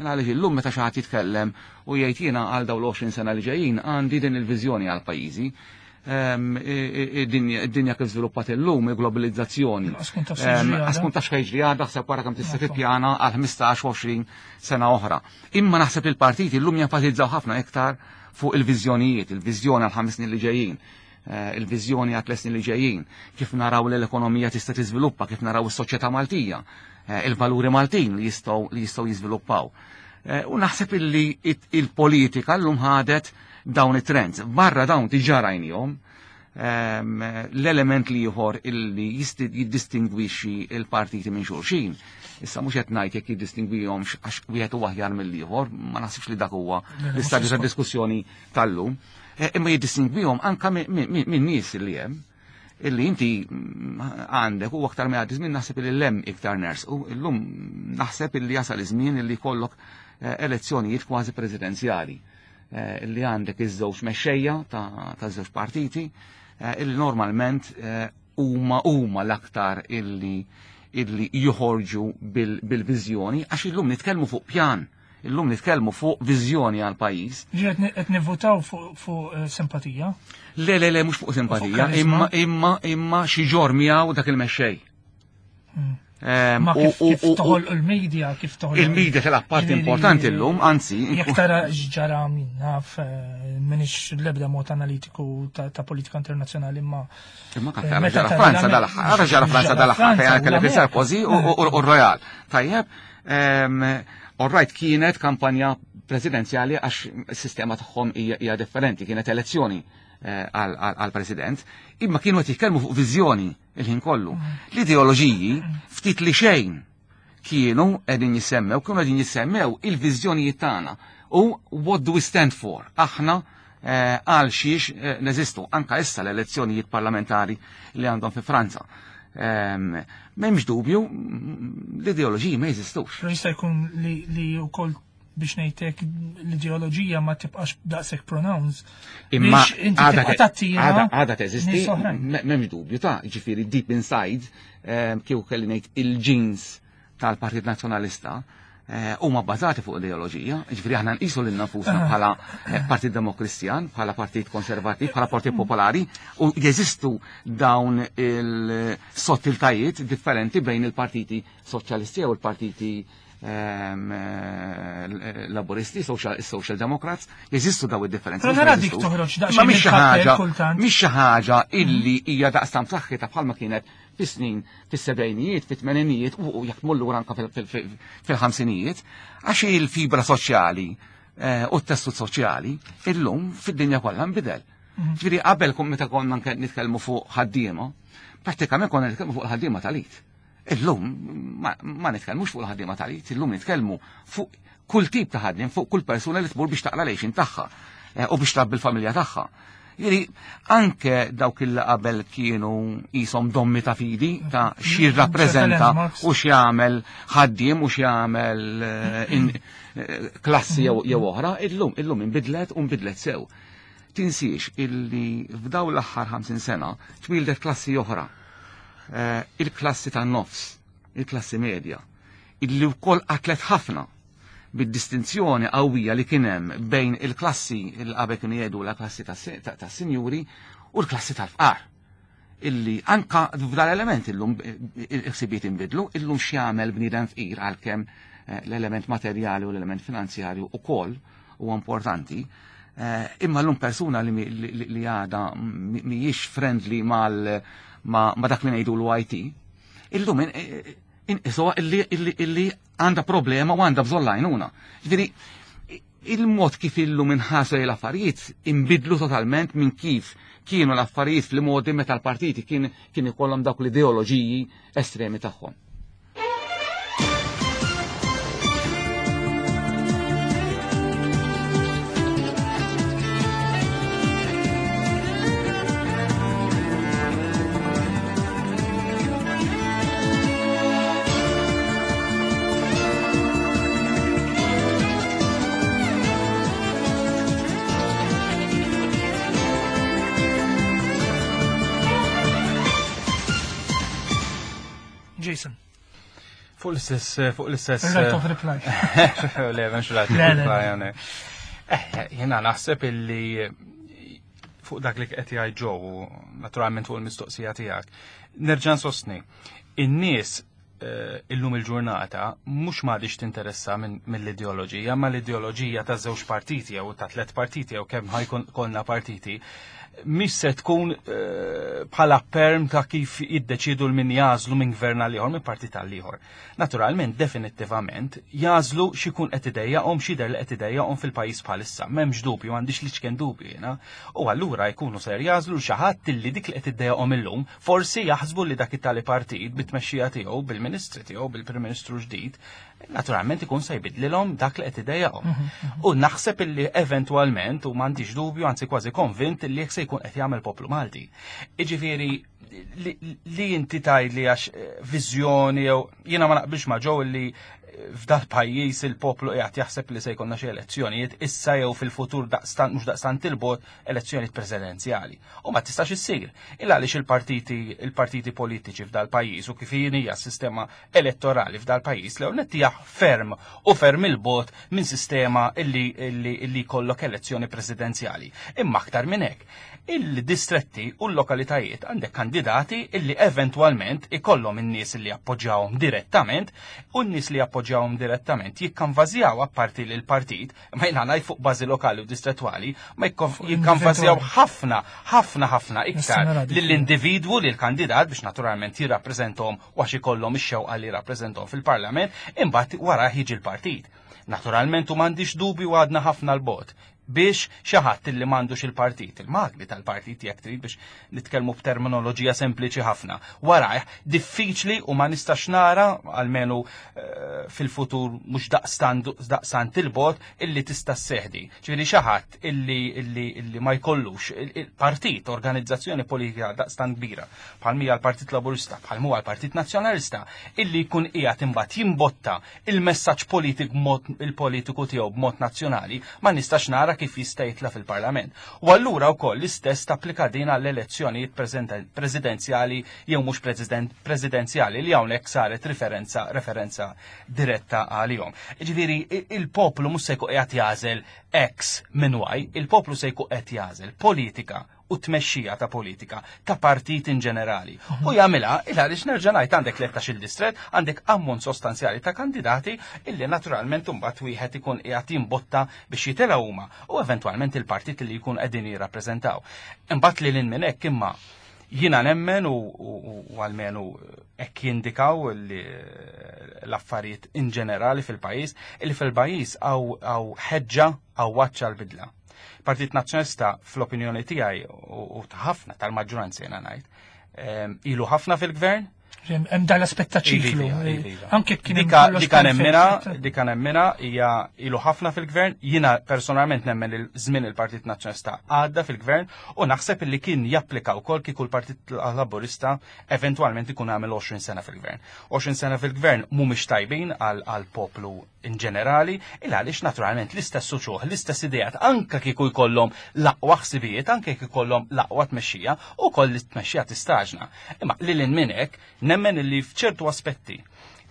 Għaliex illum meta xi ħadd jitkellem u jgħid jiena għal dawn l-20 sena li ġejjin għandi din il-viżjoni għal pajjiżi. Id-dinja kif żviluppat illum, il-globalizzazzjoni. Għaskun taf x'ħa jiġri għadha, ħseb wara kemm tista' tippjana għal 15-20 sena oħra. Imma naħseb il-partiti llum jenfasizzaw ħafna iktar fuq il-viżjonijiet, il-viżjoni għal 5 snin li ġejjin, il-viżjoni għal 3 snin li ġejjin, kif naraw li l-ekonomija tista' tiżviluppa, kif naraw is-soċjetà Maltija, il-valuri Maltin li jistgħu jiżviluppaw. U naħseb illi il-politika llum ħadet dawn it-trends. Barra dawn diġà rajnihom, l-element li ieħor illi jiddistingwixxi il-partiti minn xulxin. Issa mhux qed ngħid jekk jiddistingwihomx għax wieħed huwa aħjar mill-ieħor, ma naħsibx li dak huwa l-istadju ta' diskussjoni tal-lum. Imma jiddistingwihom anka minn nies li hemm illi inti għandek u aktar ma jgħaddi żmien naħseb illi lem iktar ners u illum naħseb illi jasal iż-żmien illi jkollok elezzjonijiet kważi presidenzjali illi għandek iż-żewġ mexxejja ta' żewġ partiti illi normalment huma l-aktar illi joħorġu bil-viżjoni, għax illum nitkellmu fuq pjan, illum nitkellmu fuq viżjoni għal pajjiż. Ġiet qed nivvutaw fuq simpatija? Le, le, le, mhux fuq simpatija, imma xi ġor miegħu dak il-mexxej. Ma kif toħol il-media, kif toħol Il-media tilgħab parti importanti llum, anzi. Jekk tara x'ġara min naf, m'iniex l-ebda mod analitiku ta' politika internazzjonali, imma Imma kan tara ġara Franza dal-aħħar, ġara Franza dal-aħħar fejn kellek il-Sarkozy u r-Royal. Tajjeb, all right, kienet kampanja presidenzjali għax is-sistema tagħhom hija differenti, kienet elezzjoni għal-president, imma kienu qed jitkellmu fuq viżjoni il-ħin kollu. L-ideoloġiji ftit li xejn kienu qegħdin jissemmew, kienu qegħdin jissemmew il-viżjonijiet tagħna u what do we stand for? Aħna għal xiex neżistu, anka issa l-elezzjonijiet parlamentari li għandhom fi Franza. M'hemmx dubju, l-ideoloġiji ma jeżistux. Però jista' jkun li wkoll biex ngħidlek l-ideoloġija ma tibqax daqshekk pronounced. Imma Biex inti tibqa' tattira għada teżisti, nies oħrajn. M'hemmx dubju ta' ġifieri deep inside, kieku kelli ngħid il-genes tal-Partit Nazzjonalista huma bbażati fuq ideoloġija, ġifieri aħna nqisu lil nafusna bħala Partit Demokristjan, bħala Partit Konservattiv, bħala Partit Popolari, u jeżistu dawn il-sottiltajiet differenti bejn il-partiti soċjalisti u l-partiti Laburisti, Social Democrats, jeżistu daw id-differenzi. Però nara dik toħroġ daqsxejn Ma mhix xi mill-kappell ħaġa, kultant. mhix xi ħaġa illi hija daqstant b'saħħitha bħalma kienet fis-snin, fis-sebgħinijiet, fit-tmeninijiet u jekk tmur lura anke fil-ħamsinijiet, għax il-fibra soċjali u t-tessut soċjali illum fid-dinja kollha nbidel. Ġifieri qabel meta konna nitkellmu fuq ħaddiema, prattikament konna nitkellmu fuq il-ħaddiema tal-id. Illum ma nitkellmux fuq il-ħaddiema tal-id, illum nitkellmu fuq kull tip ta' ħaddiem, fuq kull persuna li tmur biex taqla lejxin tagħha u biex trabbi l-familja tagħha. Jiġifieri anke dawk il qabel kienu qishom dommi ta' fidi ta' x'jirrappreżenta u x'jagħmel ħaddiem u x'jagħmel klassi jew oħra, illum inbidlet u nbidlet sew. Tinsiex illi f'daw l-aħħar 50 sena twildet klassi oħra. Il-klassi tan-nofs, il-klassi medja, illi wkoll qatlet ħafna bid-distinzjoni qawwija li kien hemm bejn il-klassi il qabel kienu jgħidu la klassi tas-sinjuri u l-klassi tal-fqar. Illi anka f'dal element illum il-ħsibijiet inbidlu, illum x'jagħmel bniedem fqir għalkemm l-element materjali u l-element finanzjarju ukoll huwa importanti. Imma llum persuna li għadha mhijiex friendly ma dak li ngħidu l-IT, illum inqisuha illi għandha problema u għandha bżonn l-għajnuna. Ġifieri, Il-mod kif illum inħarsu lejn l-affarijiet inbidlu totalment minn kif kienu l-affarijiet fl-modi meta l-partiti kien kien ikollhom dawk l-ideoloġiji estremi tagħhom. Jason. Fuq l-istess, fuq l-istess. Right of reply. Le, menx right of reply. Eh, jena naħseb illi fuq dak li qed jgħid Joe, naturalment fuq il-mistoqsija tiegħek. Nerġa' nsostni, in-nies eh, illum il-ġurnata mhux m'għadix tinteressa mill-ideoloġija, ma l-ideoloġija ta' żewġ partiti jew ta' tliet partiti jew kemm ħajkun konna partiti, mhix se tkun eh, bħala perm ta' kif jiddeċidu l-min jażlu minn gvern għal ieħor minn partit għal ieħor. Naturalment, definittivament, jagħżlu x'ikun qed idejjaqhom, x'jidher li qed idejjaqhom fil-pajjiż bħalissa. M'hemmx dubju, m'għandix l-iċken dubju jiena. U allura jkunu ser jagħżlu xi ħadd illi dik li qed iddejjaqhom illum, forsi jaħsbu li dak it-tali partit bit-tmexxija tiegħu, bil-ministri tiegħu, bil-Prim Ministru ġdid, naturalment ikun se jbidlilhom dak li qed idejjaqhom. Mhm, mhm. U naħseb illi eventwalment, u m'għandix dubju, anzi kważi konvint illi jekk se jkun qed jagħmel poplu Malti. Jiġifieri li inti tgħidli għax eh, viżjoni jew jiena ma naqbilx ma' ġew li eh, f'dal pajjiż il-poplu qiegħed jaħseb li se jkollna xi elezzjonijiet issa jew fil-futur daqstant mhux daqstant il-bot elezzjonijiet presidenzjali. U ma tistax issir. Illa għaliex il-partiti il-partiti politiċi f'dal pajjiż u kif hija s-sistema elettorali f'dal pajjiż l hija ferm u ferm il-bot minn sistema illi illi jkollok elezzjoni presidenzjali. Imma aktar minn hekk il-distretti u l-lokalitajiet għandek kandidati illi eventwalment ikollhom in-nies li jappoġġjawhom direttament u n-nies li jappoġġjawhom direttament jikkanvażjaw apparti lil partit ma jiena ngħid fuq bażi lokali u distrettwali ma jikkanvażjaw ħafna ħafna ħafna iktar lill-individwu lil kandidat biex naturalment jirrappreżentahom u għax ikollhom ix-xewqa li jirrappreżentahom fil-parlament imbagħad wara jiġi l-partit. Naturalment u m'għandix dubju għadna ħafna l-bot biex xi ħadd illi m'għandux il-partit, il-magni tal-partit jekk trid biex nitkellmu b'terminoloġija sempliċi ħafna. Warajh diffiċli u ma nistax nara almenu eh, fil-futur mhux daqstant il-bot illi tista' sseħdi. Ġifieri xi ħadd illi, illi, illi ma jkollux il-partit, organizzazzjoni politika daqstant kbira, bħal mija l-Partit Laburista, bħal huwa l-Partit Nazzjonalista, illi jkun qiegħed imbagħad jimbotta il-messaġġ politik mod il-politiku tiegħu b'mod nazzjonali ma nistax nara kif jista' jitla' fil-Parlament. U allura wkoll l-istess tapplika din għall-elezzjonijiet presidenzjali jew mhux presidenzjali li hawnhekk saret riferenza referenza diretta għalihom. Ġifieri il-poplu mhux se jkun qiegħed jagħżel X minn Y, il-poplu se jkun qed jagħżel politika u tmexxija ta' politika ta' partit in ġenerali. Mhm. U jagħmilha il għaliex nerġa' ngħid għandek 13 il-distret, għandek ammont sostanzjali ta' kandidati illi naturalment imbagħad wieħed ikun qiegħed jimbotta biex jitilgħu huma u eventwalment il-partit li jkun qegħdin jirrappreżentaw. Imbagħad li lil minn hekk imma jiena nemmen u għalmenu hekk jindikaw li l-affarijiet in ġenerali fil-pajjiż, illi fil-pajjiż għaw ħeġġa għaw waċċa l-bidla. Partit Nazzjonalista fl-opinjoni tiegħi u ta' ħafna tal-maġġoranza jiena ngħid, ehm, ilu ħafna fil-gvern. Hemm dan l-aspett ta' ċiklu. Iva, iva, iva. Anke kien dika nemmina, dika nemmina hija ilu ħafna fil-gvern, jiena personalment nemmen il żmien il-Partit Nazzjonalista għadda fil-gvern u naħseb li kien japplika wkoll kieku l-Partit Laburista eventwalment ikun għamel 20 sena fil-gvern. 20 sena fil-gvern mhumiex tajbin għal poplu in ġenerali, il għaliex naturalment l-istess uċuħ, l-istess ideat, anka kieku jkollhom l-aqwa ħsibijiet, anke kieku jkollhom l-aqwa tmexxija, u koll tmexxija tistaġna. Imma lil minn hekk, nemmen illi f'ċertu aspetti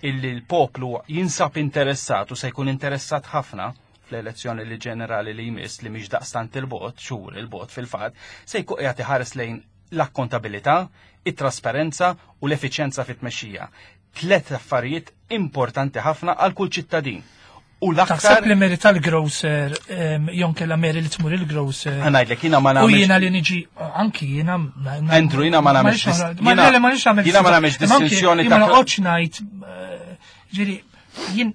illi l-poplu jinsab interessat u se jkun interessat ħafna fl-elezzjoni li ġenerali li jmiss li mhix daqstant il-bot, xhur il-bot fil-fatt, se jkun qiegħed iħares lejn l-akkontabilità, it-trasparenza u l-effiċjenza fit-tmexxija. Tlet affarijiet importanti ħafna għal kull ċittadin. U l-aktar. Taħseb li meri tal-grocer, jon kella meri li tmur il-grocer. Ngħidlek jiena ma nagħmel. U jiena li niġi anki jiena. Andrew jiena ma nagħmel. Ma jiena ma nagħmilx distinzjoni ta'. Ma noqgħodx ngħid eh, ġieri jien.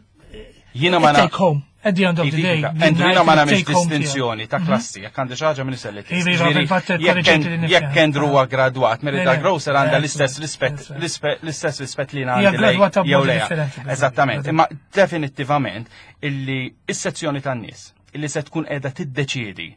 Jiena ma Take home. At the end of the day. Andrew, jiena ma nagħmilx distinzjoni ta' mhm. klassi, jekk għandi xi ħaġa minn iselli. Jekk Andrew huwa gradwat, Merida Grocer għandha l-istess rispett l-istess rispett li għandi jew le. Eżattament, imma definittivament illi is-sezzjoni tan-nies illi se tkun qiegħda tiddeċiedi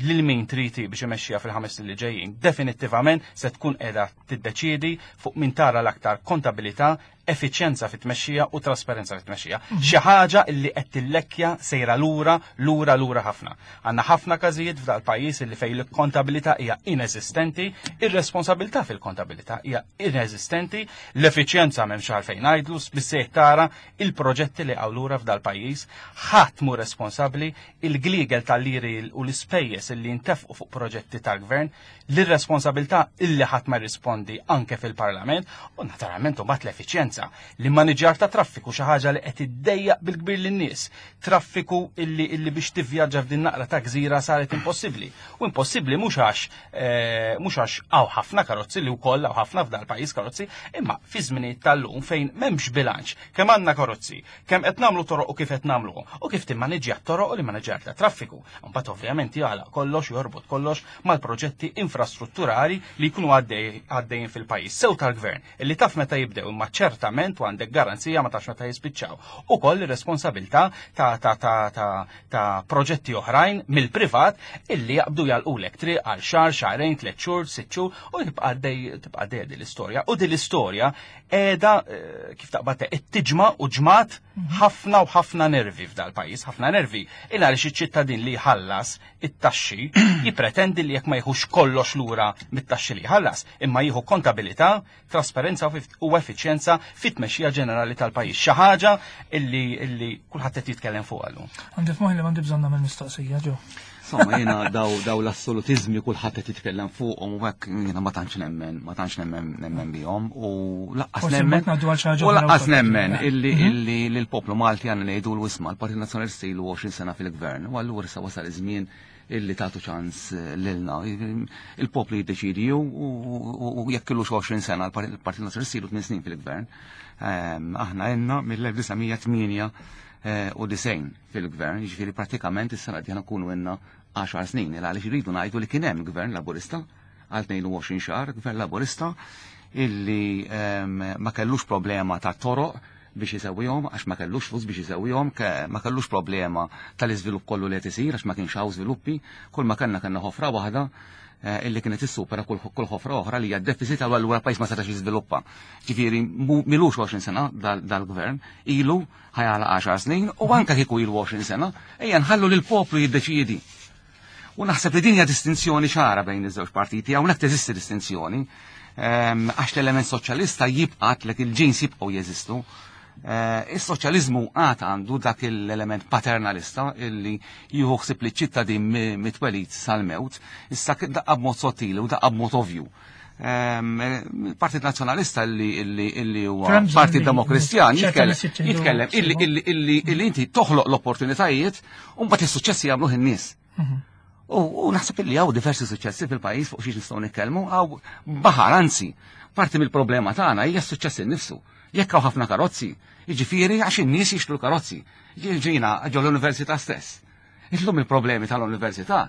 lil min trid biex imexxiha fil-ħames snin li ġejjin, definittivament se tkun qiegħda tiddeċiedi fuq min tara l-aktar kontabilità, effiċjenza fit-tmexxija u trasparenza fit-tmexxija. Mhm. Xi ħaġa li qed tillekkja sejra lura, lura, lura ħafna. Għandna ħafna każijiet f'dal pajjiż li fejn il-kontabilità hija ineżistenti, ir-responsabilità fil-kontabilità hija ineżistenti, l-effiċjenza m'hemmx għalfejn ngħidlu, biżejjed tara il-proġetti li għaw lura f'dal pajjiż, ħadd mu responsabbli, il-gliegel tal-liri u l-ispejjeż li ntefqu fuq proġetti tal-gvern, l-irresponsabilità illi ħadd ma jirrispondi anke fil-Parlament u naturalment imbagħad l-effiċjenza. L-immaniġjar ta' traffiku xi ħaġa li qed iddejjaq bil-kbir lin-nies. Traffiku illi illi biex tivvjaġġa f'din naqra ta' gżira saret impossibbli. U impossibbli mhux għax eh, mhux għax hawn ħafna karozzi li wkoll hawn ħafna f'dal pajjiż karozzi, imma fi żminijiet tal-lum fejn m'hemmx bilanċ kemm għandna karozzi, kemm qed nagħmlu toroq u kif qed nagħmluhom u kif timmaniġġja t-toroq u l-immaniġġjar ta' traffiku. Mbagħad ovvjament jagħlaq kollox jorbot kollox mal-proġetti infrastrutturali li jkunu għaddejjin fil-pajjiż, sew tal-gvern, illi taf meta jibdew imma ċertament u għandek garanzija ma tafx meta jispiċċaw. Ukoll ir-responsabilità ta' ta' ta' ta' ta' proġetti oħrajn mill-privat illi jaqbdu jalqulek triq għal xahar, xahrejn, tliet xhur, sitt xhur u tibqa' għaddej tibqa' għaddejja din l-istorja. U din l-istorja qiegħda eh, kif taqbad tiġma' u ġmat ħafna u ħafna nervi f'dal-pajjiż, ħafna nervi. Il għaliex iċ-ċittadin li jħallas it-taxxi jippretendi li jekk ma jieħux kollox lura mit-taxxi li jħallas, imma jieħu kontabilità, trasparenza u effiċjenza fit-tmexxija ġenerali tal-pajjiż. Xi ħaġa illi illi kulħadd qed jitkellem fuqha llum. Għandi f'moħħi li m'għandi bżonn nagħmel mistoqsija ġew. Insomma, jiena daw daw l-assolutizmi kulħadd qed jitkellem fuqhom u hekk jiena ma tantx nemmen, ma tantx nemmen nemmen bihom u laqqas nemmen. U laqqas nemmen illi mhm. illi l-poplu Malti għandna ngħidu l-wisma l-Partit Nazzjonalista ilu 20 sena fil-gvern u allura issa wasal iż-żmien illi tagħtu ċans eh, lilna. Il-poplu jiddeċidi u jekk ilu 20 sena l-Partit Nazzjonalista ilu 8 snin fil-gvern. Ehm, aħna għenna mill-1998 eh, fil-gvern, jiġifieri prattikament is-sena d nkunu għenna 10 snin, għaliex irridu ngħidu li kien hemm gvern Laburista għal 22 xahar, gvern Laburista illi ehm, ma kellux problema ta' toroq biex isewwihom għax ma kellux flus biex isewwihom, ma kellux problema tal-iżvilupp kollu li qed isir għax ma kienx hawn żviluppi, kull ma kellna kellna ħofra waħda eh, illi kienet issupera kull ħofra oħra li hija deficit għal allura pajjiż ma setax jiżviluppa. Ġifieri milux 20 sena dal-gvern, ilu ħajala 10 snin u anke kieku ilu 20 sena, ejja nħallu lil poplu jiddeċiedi. U naħseb li din hija distinzjoni ċara bejn iż-żewġ partiti, hawnhekk teżisti distinzjoni, ehm, għax l-element soċjalista jibqa' lek il-ġins jibqgħu jeżistu. Eh, is-soċjaliżmu għad għandu dak l-element paternalista illi jieħu ħsieb li ċittadin mitwelid sal-mewt, issa daqqa b'mod sottili u daqqa b'mod ovvju. Ehm, il-Partit Nazzjonalista illi huwa Partit Demokristjan jitkellem illi inti toħloq l-opportunitajiet u mbagħad is-suċċessi jagħmluh in-nies. Mhm. U naħseb illi hawn diversi suċċessi fil-pajjiż fuq xiex nistgħu nitkellmu, hawn baħar anzi, parti mill-problema tagħna hija s-suċċess innifsu. Jekk hawn ħafna karozzi, jiġifieri għax in-nies jixtru l-karozzi. Ġina ġol l-università stess. Illum il-problemi tal-università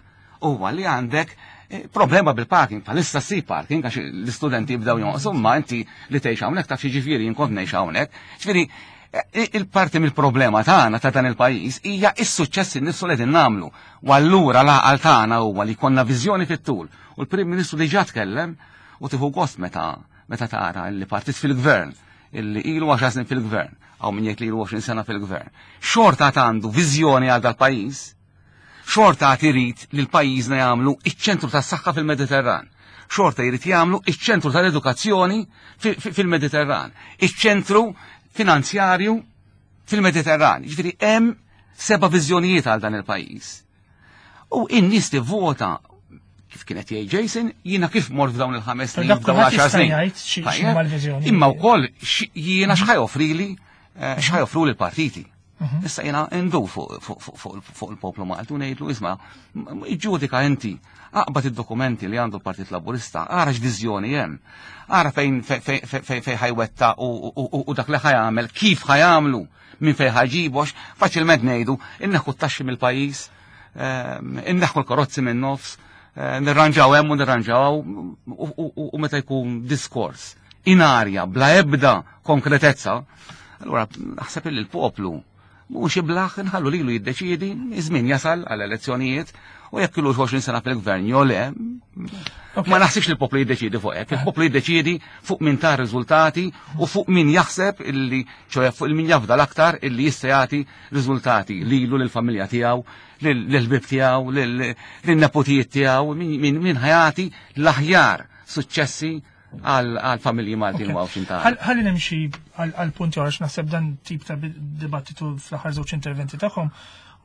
huwa li għandek eh, problema bil-parking, bħalissa si parking għax l-istudenti jibdew jonqsu, ma inti li tgħix hawnhekk taf ġifieri jien kont ngħix hawnhekk. Ġifieri eh, il-parti mill-problema tagħna ta' dan il-pajjiż hija s-suċċess innifsu li qegħdin nagħmlu. U allura l-għaqal tagħna huwa li jkollna viżjoni fit-tul. U l-Prim Ministru diġà tkellem u tieħu gost meta meta tara li partit fil-gvern illi ilu 10 snin fil-gvern, għaw min jgħid li ilu 20 sena fil-gvern, xorta għandu viżjoni għal dal-pajjiż, xorta għad irid li l-pajjiżna jagħmlu iċ-ċentru tas-saħħa fil-Mediterran, xorta jrid jagħmlu iċ-ċentru tal-edukazzjoni fil-Mediterran, iċ-ċentru finanzjarju fil-Mediterran. Ġifieri hemm seba' viżjonijiet għal dan il-pajjiż. U in-nies tivvota kif kienet jgħid Jason, jiena kif mort f'dawn il-ħames snin, f'dawn l-għaxar snin. Imma wkoll jiena x'ħaj offrili, eh, x'ħaj offru l-partiti. Issa jiena ndur fuq il-poplu Malti u ngħidlu isma' iġġudika inti, aqbad id-dokumenti li għandu l-Partit Laburista, ara x'viżjoni hemm, ara fejn fejn ħajwetta u dak li ħajamel, kif ħajamlu, minn fejn ħajġibu, għax faċilment ngħidu inneħħu t-taxxi mill-pajjiż, inneħħu l-karozzi minn nofs, nirranġaw hemm u nirranġaw u meta jkun diskors in arja bla ebda konkretezza, allura naħseb li l-poplu mhux iblaħ inħallu lilu jiddeċiedi, iż-żmien jasal għal elezzjonijiet u jekk ilu 20 sena fil-gvern jew le, ma naħsibx li l-poplu jiddeċiedi fuq hekk, il-poplu jiddeċiedi fuq min ta' riżultati u fuq min jaħseb illi ċoja fuq il-min jafda l-aktar illi jista' jagħti riżultati lilu lill-familja tiegħu, lill-ħbieb tiegħu, lin-nepotijiet tiegħu, min ħajati l-aħjar suċċessi għal-familji Maltin u Għawdxin tagħna. Ħalli nimxi għal-punti għax naħseb dan tip ta' dibattitu fl-aħħar żewġ interventi tagħhom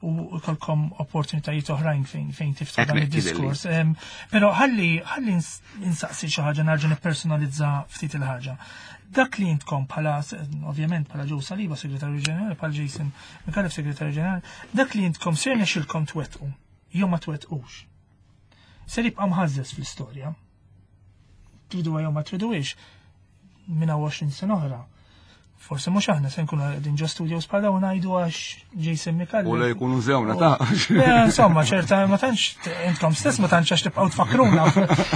u kolkom opportunitajiet oħrajn fejn tiftħu dan id-diskors. Però ħalli ħalli insaqsi xi ħaġa narġa' nippersonalizza ftit il-ħaġa. Dak li intkom bħala ovvjament bħala Joe Saliba, Segretarju Ġenerali, bħala Jason Micallef, Segretarju Ġenerali, dak li intkom ser nexilkom twettqu jew ma twettqux. Ser jibqa' mħażżeż fl-istorja. Triduha jew ma triduhiex, minn 20 sena oħra. Forse mhux aħna se nkunu qegħdin ġo studios bħala u ngħidu għax Jason Micallef. U le jkunu żewna ta' Insomma, ċerta ma tantx intkom stess ma tantx għax tibqgħu tfakruna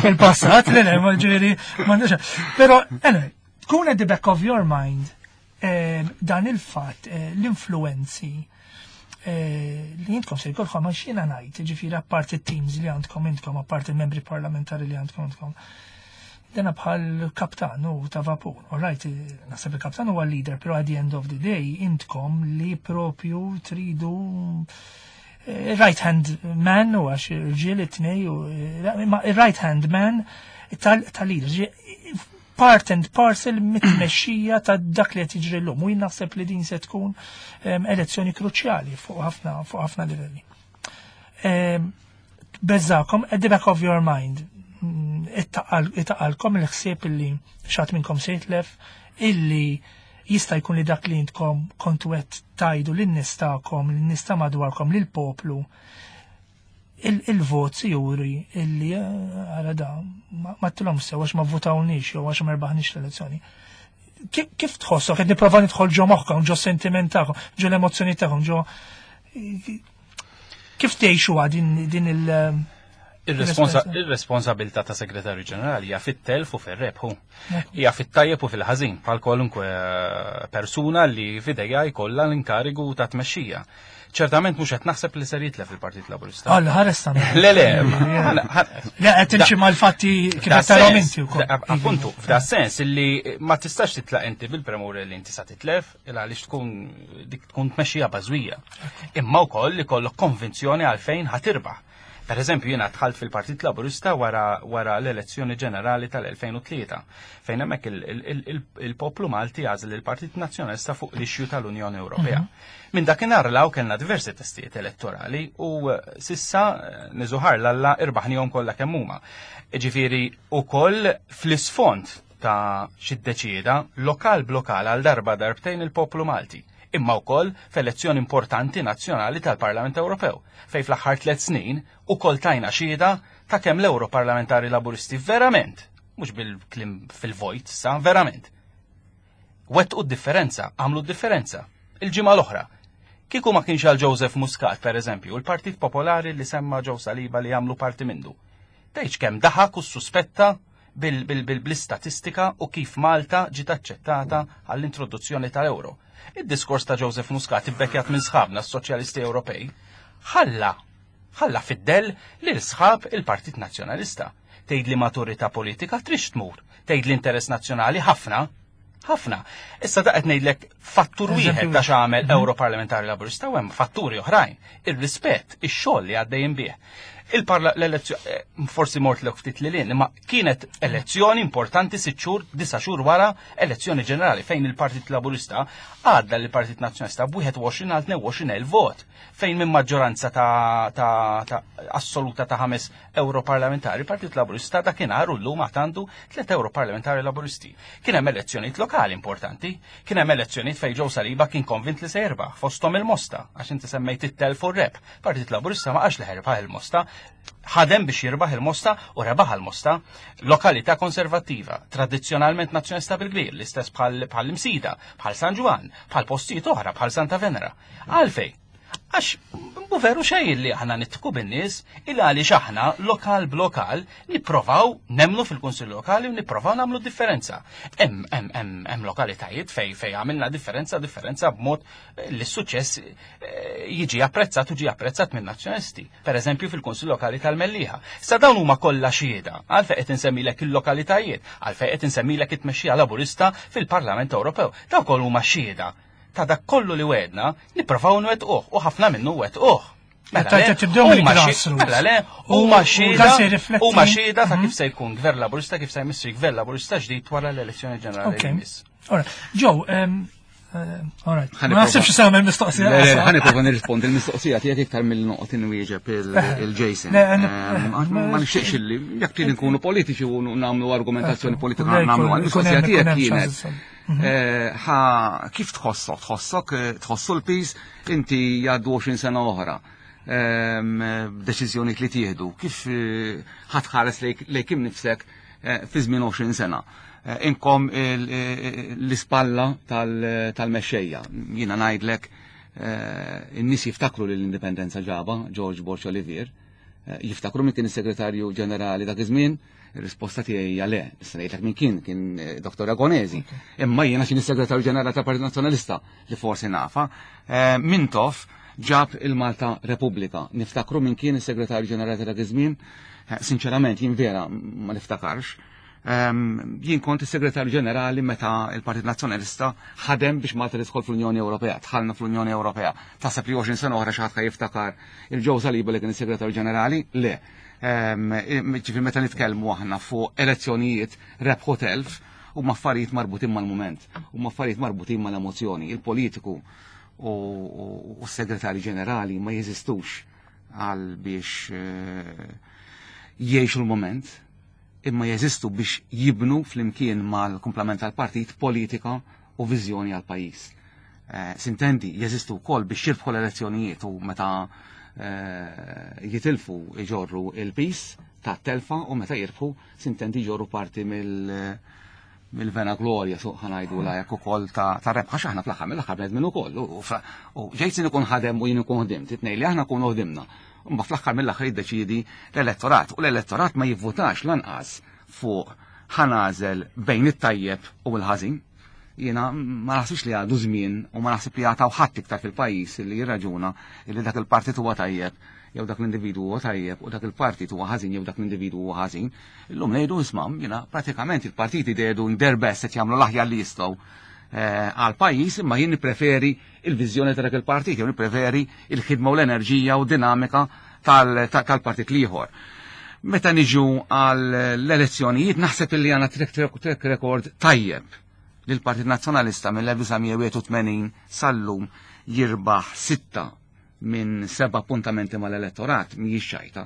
fil-passat, le le, ma ġifieri m'għandux. Però anyway, tkun at the back of your mind eh, dan il-fatt eh, l-influenzi eh, li jintkom se jkollkom għax jiena ngħid, ġifieri apparti t-teams li għandkom intkom, apparti il-membri parlamentari li għandkom intkom. Dena bħal kaptan u ta' vapur. All right, naħseb il-kaptan huwa leader, pero at the end of the day intkom li propju tridu right hand man u għax irġiel it-tnej u right hand man tal-leader part and parcel mit-tmexxija ta' dak li qed jiġri llum. U jien naħseb li din se tkun elezzjoni kruċjali fuq ħafna fuq ħafna livelli. Beżakom, at the back of your mind, ittaqalkom il-ħsieb illi xat minnkom se jitlef, illi jista' jkun li dak li intkom kontu qed tajdu lin-nies tagħkom, lin-nies ta' madwarkom, lill-poplu, il-vot si juri illi għara da ma tilhom sew għax ma votawniex jew għax ma rbaħniex l-elezzjoni. Kif tħossok qed nipprova nidħol ġo moħħkom, ġo sentiment tagħkom, ġo l-emozzjoni tagħkom, ġo kif tgħixu din din il- Ir-responsabilità ta' segretarju ġenerali hija fit-telf u fir-rebħu. Hija fit-tajjeb u fil-ħażin bħal kwalunkwe persuna li f'idejha jkollha l-inkarigu ta' tmexxija. Ċertament mhux qed naħseb li ser jitlef il-Partit Laburista. Alla ħares ta' Le le. Le qed timxi mal-fatti kif qed tarahom inti wkoll. Appuntu, f'da sens illi ma tistax titlaq inti bil-premura li inti sa titlef il għaliex tkun dik tkun tmexxija bażwija. Imma wkoll li kollok konvinzjoni għalfejn ħatirbaħ. Per eżempju, jiena dħalt fil-Partit Laburista wara, wara l-elezzjoni ġenerali tal-2003, fejn hemmhekk il-poplu Malti għażel il-Partit Nazzjonalista fuq l-issue tal-Unjoni Ewropea. Minn dakinhar 'l hawn kellna diversi testijiet elettorali u sissa niżuħar l-Alla irbaħnihom kollha kemm huma. Ġifieri ukoll fl-isfond ta' x'iddeċieda lokal b'lokal għal darba darbtejn il-poplu Malti, imma wkoll f'elezzjoni importanti nazzjonali tal-Parlament Ewropew, fejn fl-aħħar tlett snin ukoll tajna xhieda ta' kemm l-Ewroparlamentari Laburisti verament, mhux bil-kliem fil-vojt issa, verament, wettqu d-differenza, għamlu d-differenza. Il-ġimgħa l-oħra, kieku ma kienx għal Joseph Muscat, per eżempju, il-Partit Popolari li semma Joe Saliba li għamlu parti minnu. Tgħidx kemm daħak u ssuspetta bl-istatistika u kif Malta ġiet aċċettata għall-introduzzjoni tal-euro. Id-diskors ta' Joseph Muscat ibbekkjat minn sħabna s-Soċjalisti Ewropej ħalla ħalla fid-dell lil sħab il-Partit Nazzjonalista. Tgħid li maturità politika trix tmur, tgħid l-interess nazzjonali ħafna, ħafna. Issa da qed ngħidlek fattur wieħed ta' x'għamel Europarlamentari Laburista u hemm fatturi oħrajn. Ir-rispett, ix-xogħol li għaddejjin bih. Il-parla l-elezzjoni, eh, forsi mort lek ftit lil imma kienet elezzjoni importanti sitt xhur, disa' xhur wara elezzjoni ġenerali fejn il-Partit Laburista għadda lill-Partit Nazzjonalista b'21 għal 22 elf vot, fejn minn maġġoranza ta', ta, ta assoluta ta' ħames Europarlamentari, Partit Laburista dakinhar u llum għad għandu tliet Europarlamentari Laburisti. Kien hemm elezzjonijiet lokali importanti, kien hemm elezzjonijiet elezzjonijiet fejn Joe Saliba kien konvint li se jirbaħ, fosthom il-Mosta, għax inti semmejt it-telf u r-rebħ. Partit Laburista ma qalx li ħa jirbaħ il-Mosta, ħadem biex jirbaħ il-Mosta u rebaħ il-Mosta. Lokalità konservattiva, tradizzjonalment nazzjonalista bil-kbir, l-istess bħal-Imsida, bħal San Ġwann, bħal postijiet oħra, bħal Santa Venera. Għalfejn? Għax mhu veru xejn li aħna nidħku bin-nies il għaliex aħna lokal b'lokal nipprovaw nemmnu fil-Kunsill Lokali u nipprovaw nagħmlu differenza. Hemm hemm hemm hemm lokalitajiet fej fej għamilna differenza differenza b'mod li s-suċċess eh, jiġi apprezzat u ġi apprezzat minn nazzjonalisti. Per eżempju fil-Kunsill Lokali tal-Mellieħa. Sa dawn huma kollha xhieda għalfejn qed insemmilek il-lokalitajiet, għalfejn qed insemmilek it-tmexxija Laburista fil-Parlament Ewropew. Dawn kollha huma xhieda ta' dak kollu li wegħedna nipprovaw nwettquh u ħafna minnu wettquh. Mela le, tibdew mill-grassroots. Mela le, huma xhieda huma xhieda ta' kif se jkun gvern Laburista kif se jmissi gvern Laburista ġdid wara l-elezzjoni ġenerali. Okay. Joe, Alright. Ma naħsibx se nagħmel mistoqsija. Ħa nipprova nirrispondi l-mistoqsija tiegħek iktar milli noqgħod inwieġeb il-Jason. Ma nixtieqx illi jekk trid nkunu politiċi u nagħmlu argumentazzjoni politika nagħmlu għall-mistoqsija tiegħek kienet. Ħa kif tħossok? Tħossok tħossu l-piż inti jgħaddu 20 sena oħra. Deċiżjoni li tieħdu, kif ħa tħares lejk innifsek fi żmien 20 sena. Inkom l-ispalla tal-mexxejja. Jiena ngħidlek in-nies jiftakru li l-indipendenza ġaba George Borg Olivier. Jiftakru min kien is-segretarju ġenerali dak iż-żmien? Ir-risposta tiegħi hija le. Issa ngħidlek min kien, kien Dr. Ragonesi. Imma jiena x'inhi segretarju ġenerali tal-Partit Nazzjonalista li forsi nafa. Mintoff ġab il-Malta Repubblika. Niftakru min kien is-segretarju ġenerali ta' dak iż-żmien? Sinċerament jien vera ma niftakarx. Jien kont is-segretarju ġenerali meta il-Partit Nazzjonalista ħadem biex Malta tidħol fl-Unjoni Ewropea, dħalna fl-Unjoni Ewropea. Taħseb li 20 sena oħra xi ħadd jiftakar il-Joe Saliba li kien is-segretarju ġenerali? Le. Ġifieri meta nitkellmu aħna fuq elezzjonijiet rebħu telf huma affarijiet marbutin mal-mument, huma affarijiet marbutin mal-emozzjoni. Il-politiku u s-segretarju ġenerali ma jeżistux għal biex jgħixu l-moment, imma jeżistu biex jibnu flimkien mal-kumplament tal-partit politika u viżjoni għal pajjiż. Sintendi, jeżistu wkoll biex jirbħu l-elezzjonijiet u meta jitilfu iġorru il-pis ta' telfa u meta jirbħu sintendi jġorru parti mill-vena glorja suq ħa ngħidu la jekk ukoll ta' rebħa x'aħna fl-aħħar mill-aħħar bnedmin ukoll. U Jason ikun ħadem u jien ikun ħdimt, it-tnejn li aħna nkunu ħdimna. Imma fl-aħħar mill-aħħar jiddeċiedi l-elettorat u l-elettorat ma jivvutax lanqas fuq ħa nagħżel bejn it-tajjeb u l-ħażin. Jiena ma naħsibx li għadu żmien u ma naħsib li għataw ħadd iktar fil-pajjiż li jirraġuna li dak il-partit huwa tajjeb jew dak l-individwu huwa tajjeb u dak il-partit huwa ħażin jew dak l-individwu huwa ħażin. Illum ngħidu isma' jiena pratikament il-partiti they doing their best qed jagħmlu l-aħjar li jistgħu għal pajjiż imma jien nippreferi il-viżjoni ta' dak il-partit, jew nippreferi il-ħidma u l-enerġija u dinamika tal-partit l-ieħor. Meta niġu għall-elezzjonijiet naħseb illi għandna track record tajjeb li l-Partit Nazzjonalista mill-1981 sal-lum jirbaħ 6 minn 7 appuntamenti mal-elettorat mhijiex ċajta.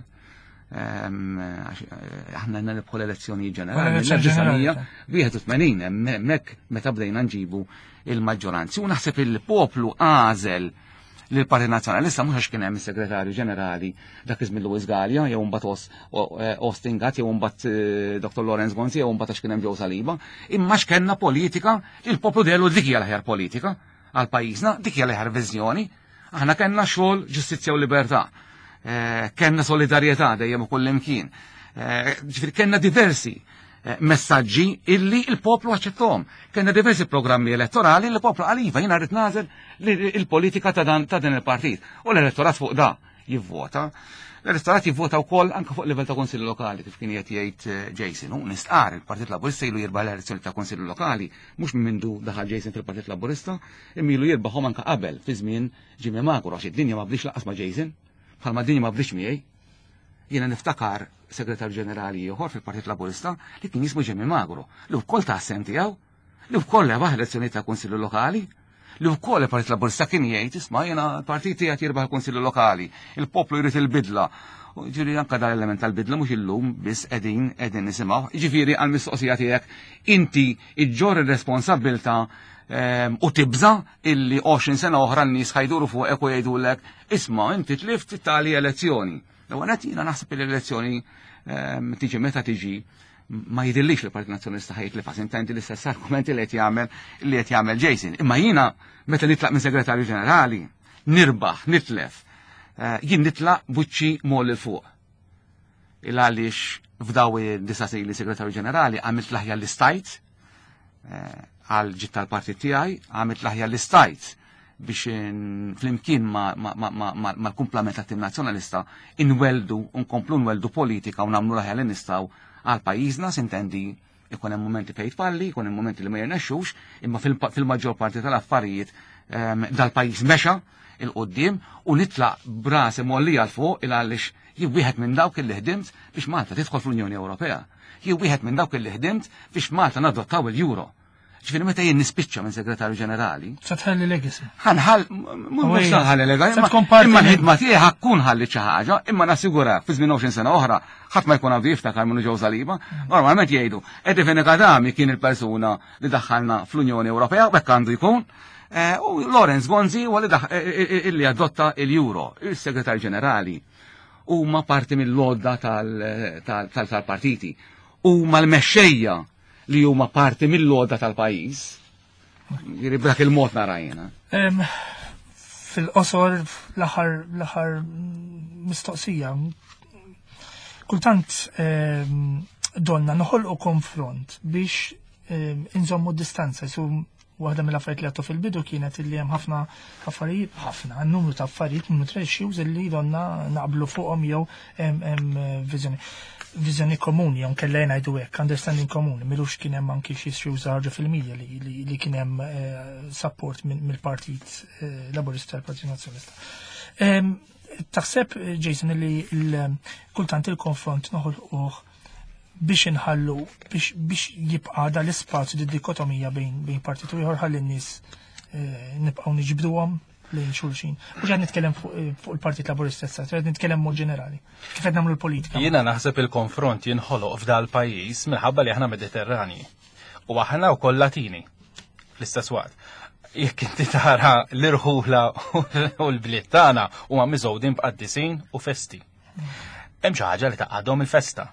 Aħna nirbħu l-elezzjoni ġenerali mill-1981 hemmhekk meta bdejna nġibu il-maġġoranzi. U naħseb il-poplu għażel li l-Partit Nazzjonalista mhux għax kien hemm is-Segretarju Ġenerali dak iż-żmien Louis Galea jew mbagħad Austin Gatt jew mbagħad Dr. Lawrence Gonzi jew mbagħad għax kien hemm Joe Saliba, imma x'kellna politika li l-poplu delu dik hija l-aħjar politika għal pajjiżna, dik hija l-aħjar viżjoni. Aħna kellna xogħol, ġustizzja u libertà. Kellna solidarjetà dejjem u kull imkien. Ġifieri kellna diversi messaġġi illi il-poplu aċċettahom. Kellna diversi programmi elettorali li l-poplu qal iva jiena rrid nagħżel il-politika ta' dan il-partit. U l-elettorat fuq da jivvota. L-elettorat jivvota wkoll anke fuq livell ta' Kunsilli Lokali kif kien qed jgħid Jason. U nistqar il-Partit Laburista ilu jirbaħ l-elezzjoni ta' Kunsilli Lokali mhux minn mindu daħal Jason fil-Partit Laburista, imma ilu jirbaħhom anke qabel fi żmien Jimmy Magro għax id-dinja ma bdiex lanqas ma' Jason, bħalma d-dinja ma bdiex miegħi. Jiena niftakar segretarju ġenerali ieħor fil-Partit Laburista li kien jismu Jimmy Magro, li wkoll ta' sem tiegħu, li wkoll rebaħ elezzjoni ta' Kunsillu Lokali, li wkoll il-Partit Laburista kien jgħid isma' jiena l-partit tiegħek jirbaħ il-Kunsillu Lokali, il-poplu jrid il-bidla. Ġifieri anke dan l-element tal-bidla mhux illum biss qegħdin nisimgħu. Ġifieri għall-mistoqsija tiegħek inti iġġorr ir-responsabbiltà u tibża illi 20 sena oħra n-nies ħa jduru fuqek u jgħidulek isma' inti tlift tali elezzjoni. L-ewwel nett jiena naħseb li l-elezzjoni tiġi meta tiġi ma jidhirlix li l-Partit Nazzjonalista ħa jitlifha, sintendi l-istess argumenti li qed jagħmel li qed jagħmel Jason. Imma jiena meta nitlaq minn segretarju ġenerali, nirbaħ, nitlef, jien nitlaq b'wiċċi m'għolli 'l fuq. Il għaliex f'daw id-disa' snin li segretarju ġenerali għamilt l-aħjar li stajt għal ġid tal-partit tiegħi, għamilt l-aħjar li stajt biex flimkien mal-kumplament tat-tim nazzjonalista inweldu, nkomplu nweldu politika u nagħmlu l-aħjar li nistgħu għal pajjiżna, sintendi ikun hemm momenti fejn tfalli, ikun hemm momenti li ma jirnexxux, imma fil-maġġor parti tal-affarijiet dal-pajjiż mexa 'il quddiem u nitlaq b'rasi mgħollija 'l fuq il għaliex jien wieħed minn dawk li ħdimt biex Malta tidħol fl-Unjoni Ewropea. Jien wieħed minn dawk li ħdimt biex Malta nadottaw il-Euro. Ġifieri meta jien nispiċċa minn segretarju ġenerali. Sa tħalli legacy. Ħa nħall, mhux ħalli legacy, imma l-ħidma tiegħi ħa tkun ħalli xi ħaġa, imma nassigurak fi żmien 20 sena oħra ħadd ma jkun għandu jiftakar minnu Joe Saliba. Normalment jgħidu, Eddie Fenech Adami kien il-persuna li daħħalna fl-Unjoni Ewropea, u hekk għandu jkun. U Lawrence Gonzi huwa li illi adotta il-Euro, il-Segretarju Ġenerali huma parti mill-lodda tal-partiti. Huma l-mexxejja li huma parti mill-lodda tal-pajjiż. Jiġifieri b'dak il-mod nara jiena. Fil-qosor l-aħħar mistoqsija. Kultant donna noħolqu konfront biex inżommu distanza, su waħda mill-affarijiet li għattu fil-bidu kienet li hemm ħafna affarijiet, ħafna, numru ta' affarijiet, numru ta' issues illi donna naqblu fuqhom jew hemm viżjoni komuni, jew nkella ngħidu hekk, understanding komuni, m'ilux kien hemm anki xi issues ħarġu fil-media li kien hemm support mill-Partit Laburista tal-Partit Nazzjonalista. Taħseb, Jason, li kultant il-konfront noħolquh biex inħallu biex jibqa' dal-ispazju di dikotomija bejn partit u ieħor ħalli n-nies nibqgħu niġbduhom lejn xulxin. Mhux qed nitkellem fuq il-Partit Laburista issa, qed nitkellem mod ġenerali. Kif qed nagħmlu l-politika? Jiena naħseb il-konfront jinħoloq f'dal pajjiż minħabba li aħna Mediterrani. U aħna wkoll Latini fl-istess waqt. Jekk inti tara l-irħula u l-bliet tagħna huma miżgħudin b'qaddisin u festi. Hemm xi ħaġa li tgħaqqadhom il-festa.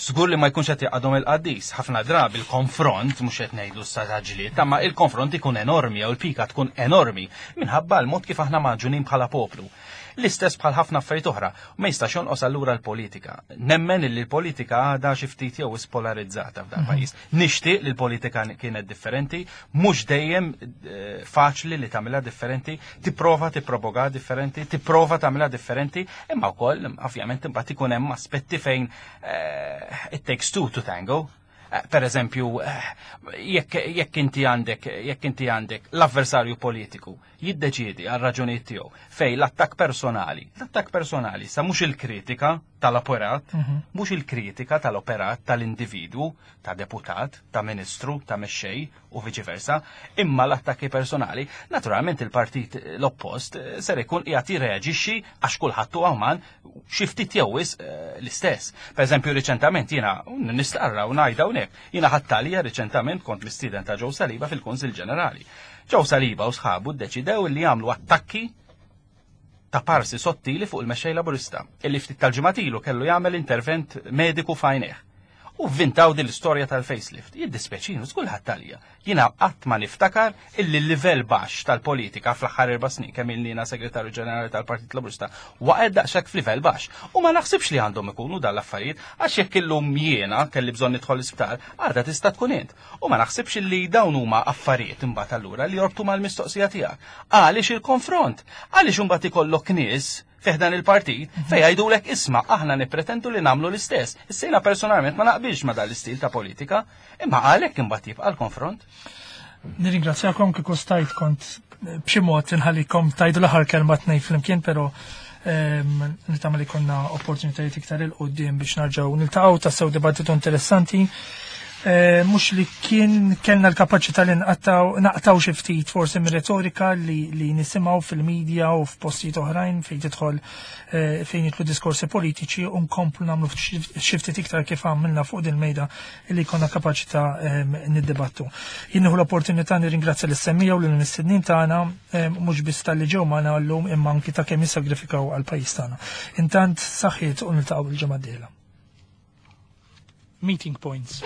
Żgur li ma jkunx qed jgħaqqadhom il-qaddis. Ħafna drabi il-konfront mhux qed ngħidu sa ġlied, imma il-konfront ikun enormi jew il-pika tkun enormi minħabba l-mod kif aħna magħġunin bħala poplu. L-istess bħal ħafna affarijiet oħra, ma jistax jonqos allura l-politika. Nemmen li l-politika għadha xi ftit jew spolarizzata f'dan pajjiż. Nixtieq li l-politika kienet differenti, mhux dejjem faċli li tagħmilha differenti, tipprova tippropoga differenti, tipprova tagħmilha differenti, imma wkoll ovvjament imbagħad ikun hemm aspetti fejn it takes two to tango. Per eżempju, jekk inti għandek, jekk inti għandek l-avversarju politiku jiddeċiedi għal raġunijiet tiegħu fej l-attakk personali sa mhux il-kritika tal-operat, mhux il-kritika tal-operat tal-individwu, ta' deputat, ta' ministru, ta' mexxej u viċi versa, imma l-attakki personali, naturalment il-partit l-oppost ser ikun qiegħed jirreaġixxi għax kulħadd huwa uman xi ftit jew wisq l-istess. Per eżempju, riċentament jiena nistqarra u ngħidha hawnhekk, jiena ħadt għalija riċentament kont mistieden ta' Joe Saliba fil-Kunsill Ġenerali. Joe Saliba u sħabu ddeċidew li jagħmlu attakki ta' parsi sottili fuq il-mexxej Laburista, illi ftit tal-ġimgħat ilu kellu jagħmel intervent mediku f'għajnejh. U vvintaw din l-istorja tal-facelift. Jiddispjaċini, żgur ħadt għalija. Jiena qatt ma niftakar illi l-livell baxx tal-politika fl-aħħar 4 snin kemm ilni jiena segretarju ġenerali tal-Partit Laburista waqgħet daqshekk f'livell baxx. U ma naħsibx li għandhom ikunu dan l-affarijiet għax jekk illum jiena kelli bżonn nidħol l-isptar, għadha tista' tkun int. U ma naħsibx li dawn huma affarijiet imbagħad allura li jorbtu mal-mistoqsija tiegħek. Għaliex il-konfront? Għaliex imbagħad ikollok nies fi ħdan il-partit fej jgħidulek isma' aħna nippretendu li nagħmlu l-istess. Issa jiena personalment ma naqbilx ma dan l-istil ta' politika, imma għalhekk imbagħad jibqa' l-konfront. Nirringrazzjakom kieku stajt kont b'xi mod inħallikom tgħidu l-aħħar kelma tnejn flimkien, però nittama li konna opportunitajiet iktar 'il quddiem biex nerġgħu niltaqgħu tassew dibattitu interessanti. Eh, mhux li kien kellna l-kapaċità li naqtaw xi ftit forsi mir-retorika li, li nisimgħu fil-medja u f'postijiet oħrajn fejn tidħol eh, fejn jitlu diskorsi politiċi u nkomplu nagħmlu xi ftit iktar kif għamilna fuq din mejda li konna kapaċità ehm, niddibattu. Jien nieħu l-opportunità nirringrazzja lis-semmija u lill-mistednin tagħna ehm, mhux biss tal-li ġew magħna llum imma anki ta' kemm jissagrifikaw għall-pajjiż tagħna. Intant saħħiet u niltaqgħu il-ġimgħa d-dieħla. Meeting points.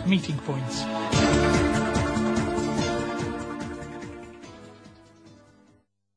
Meeting points.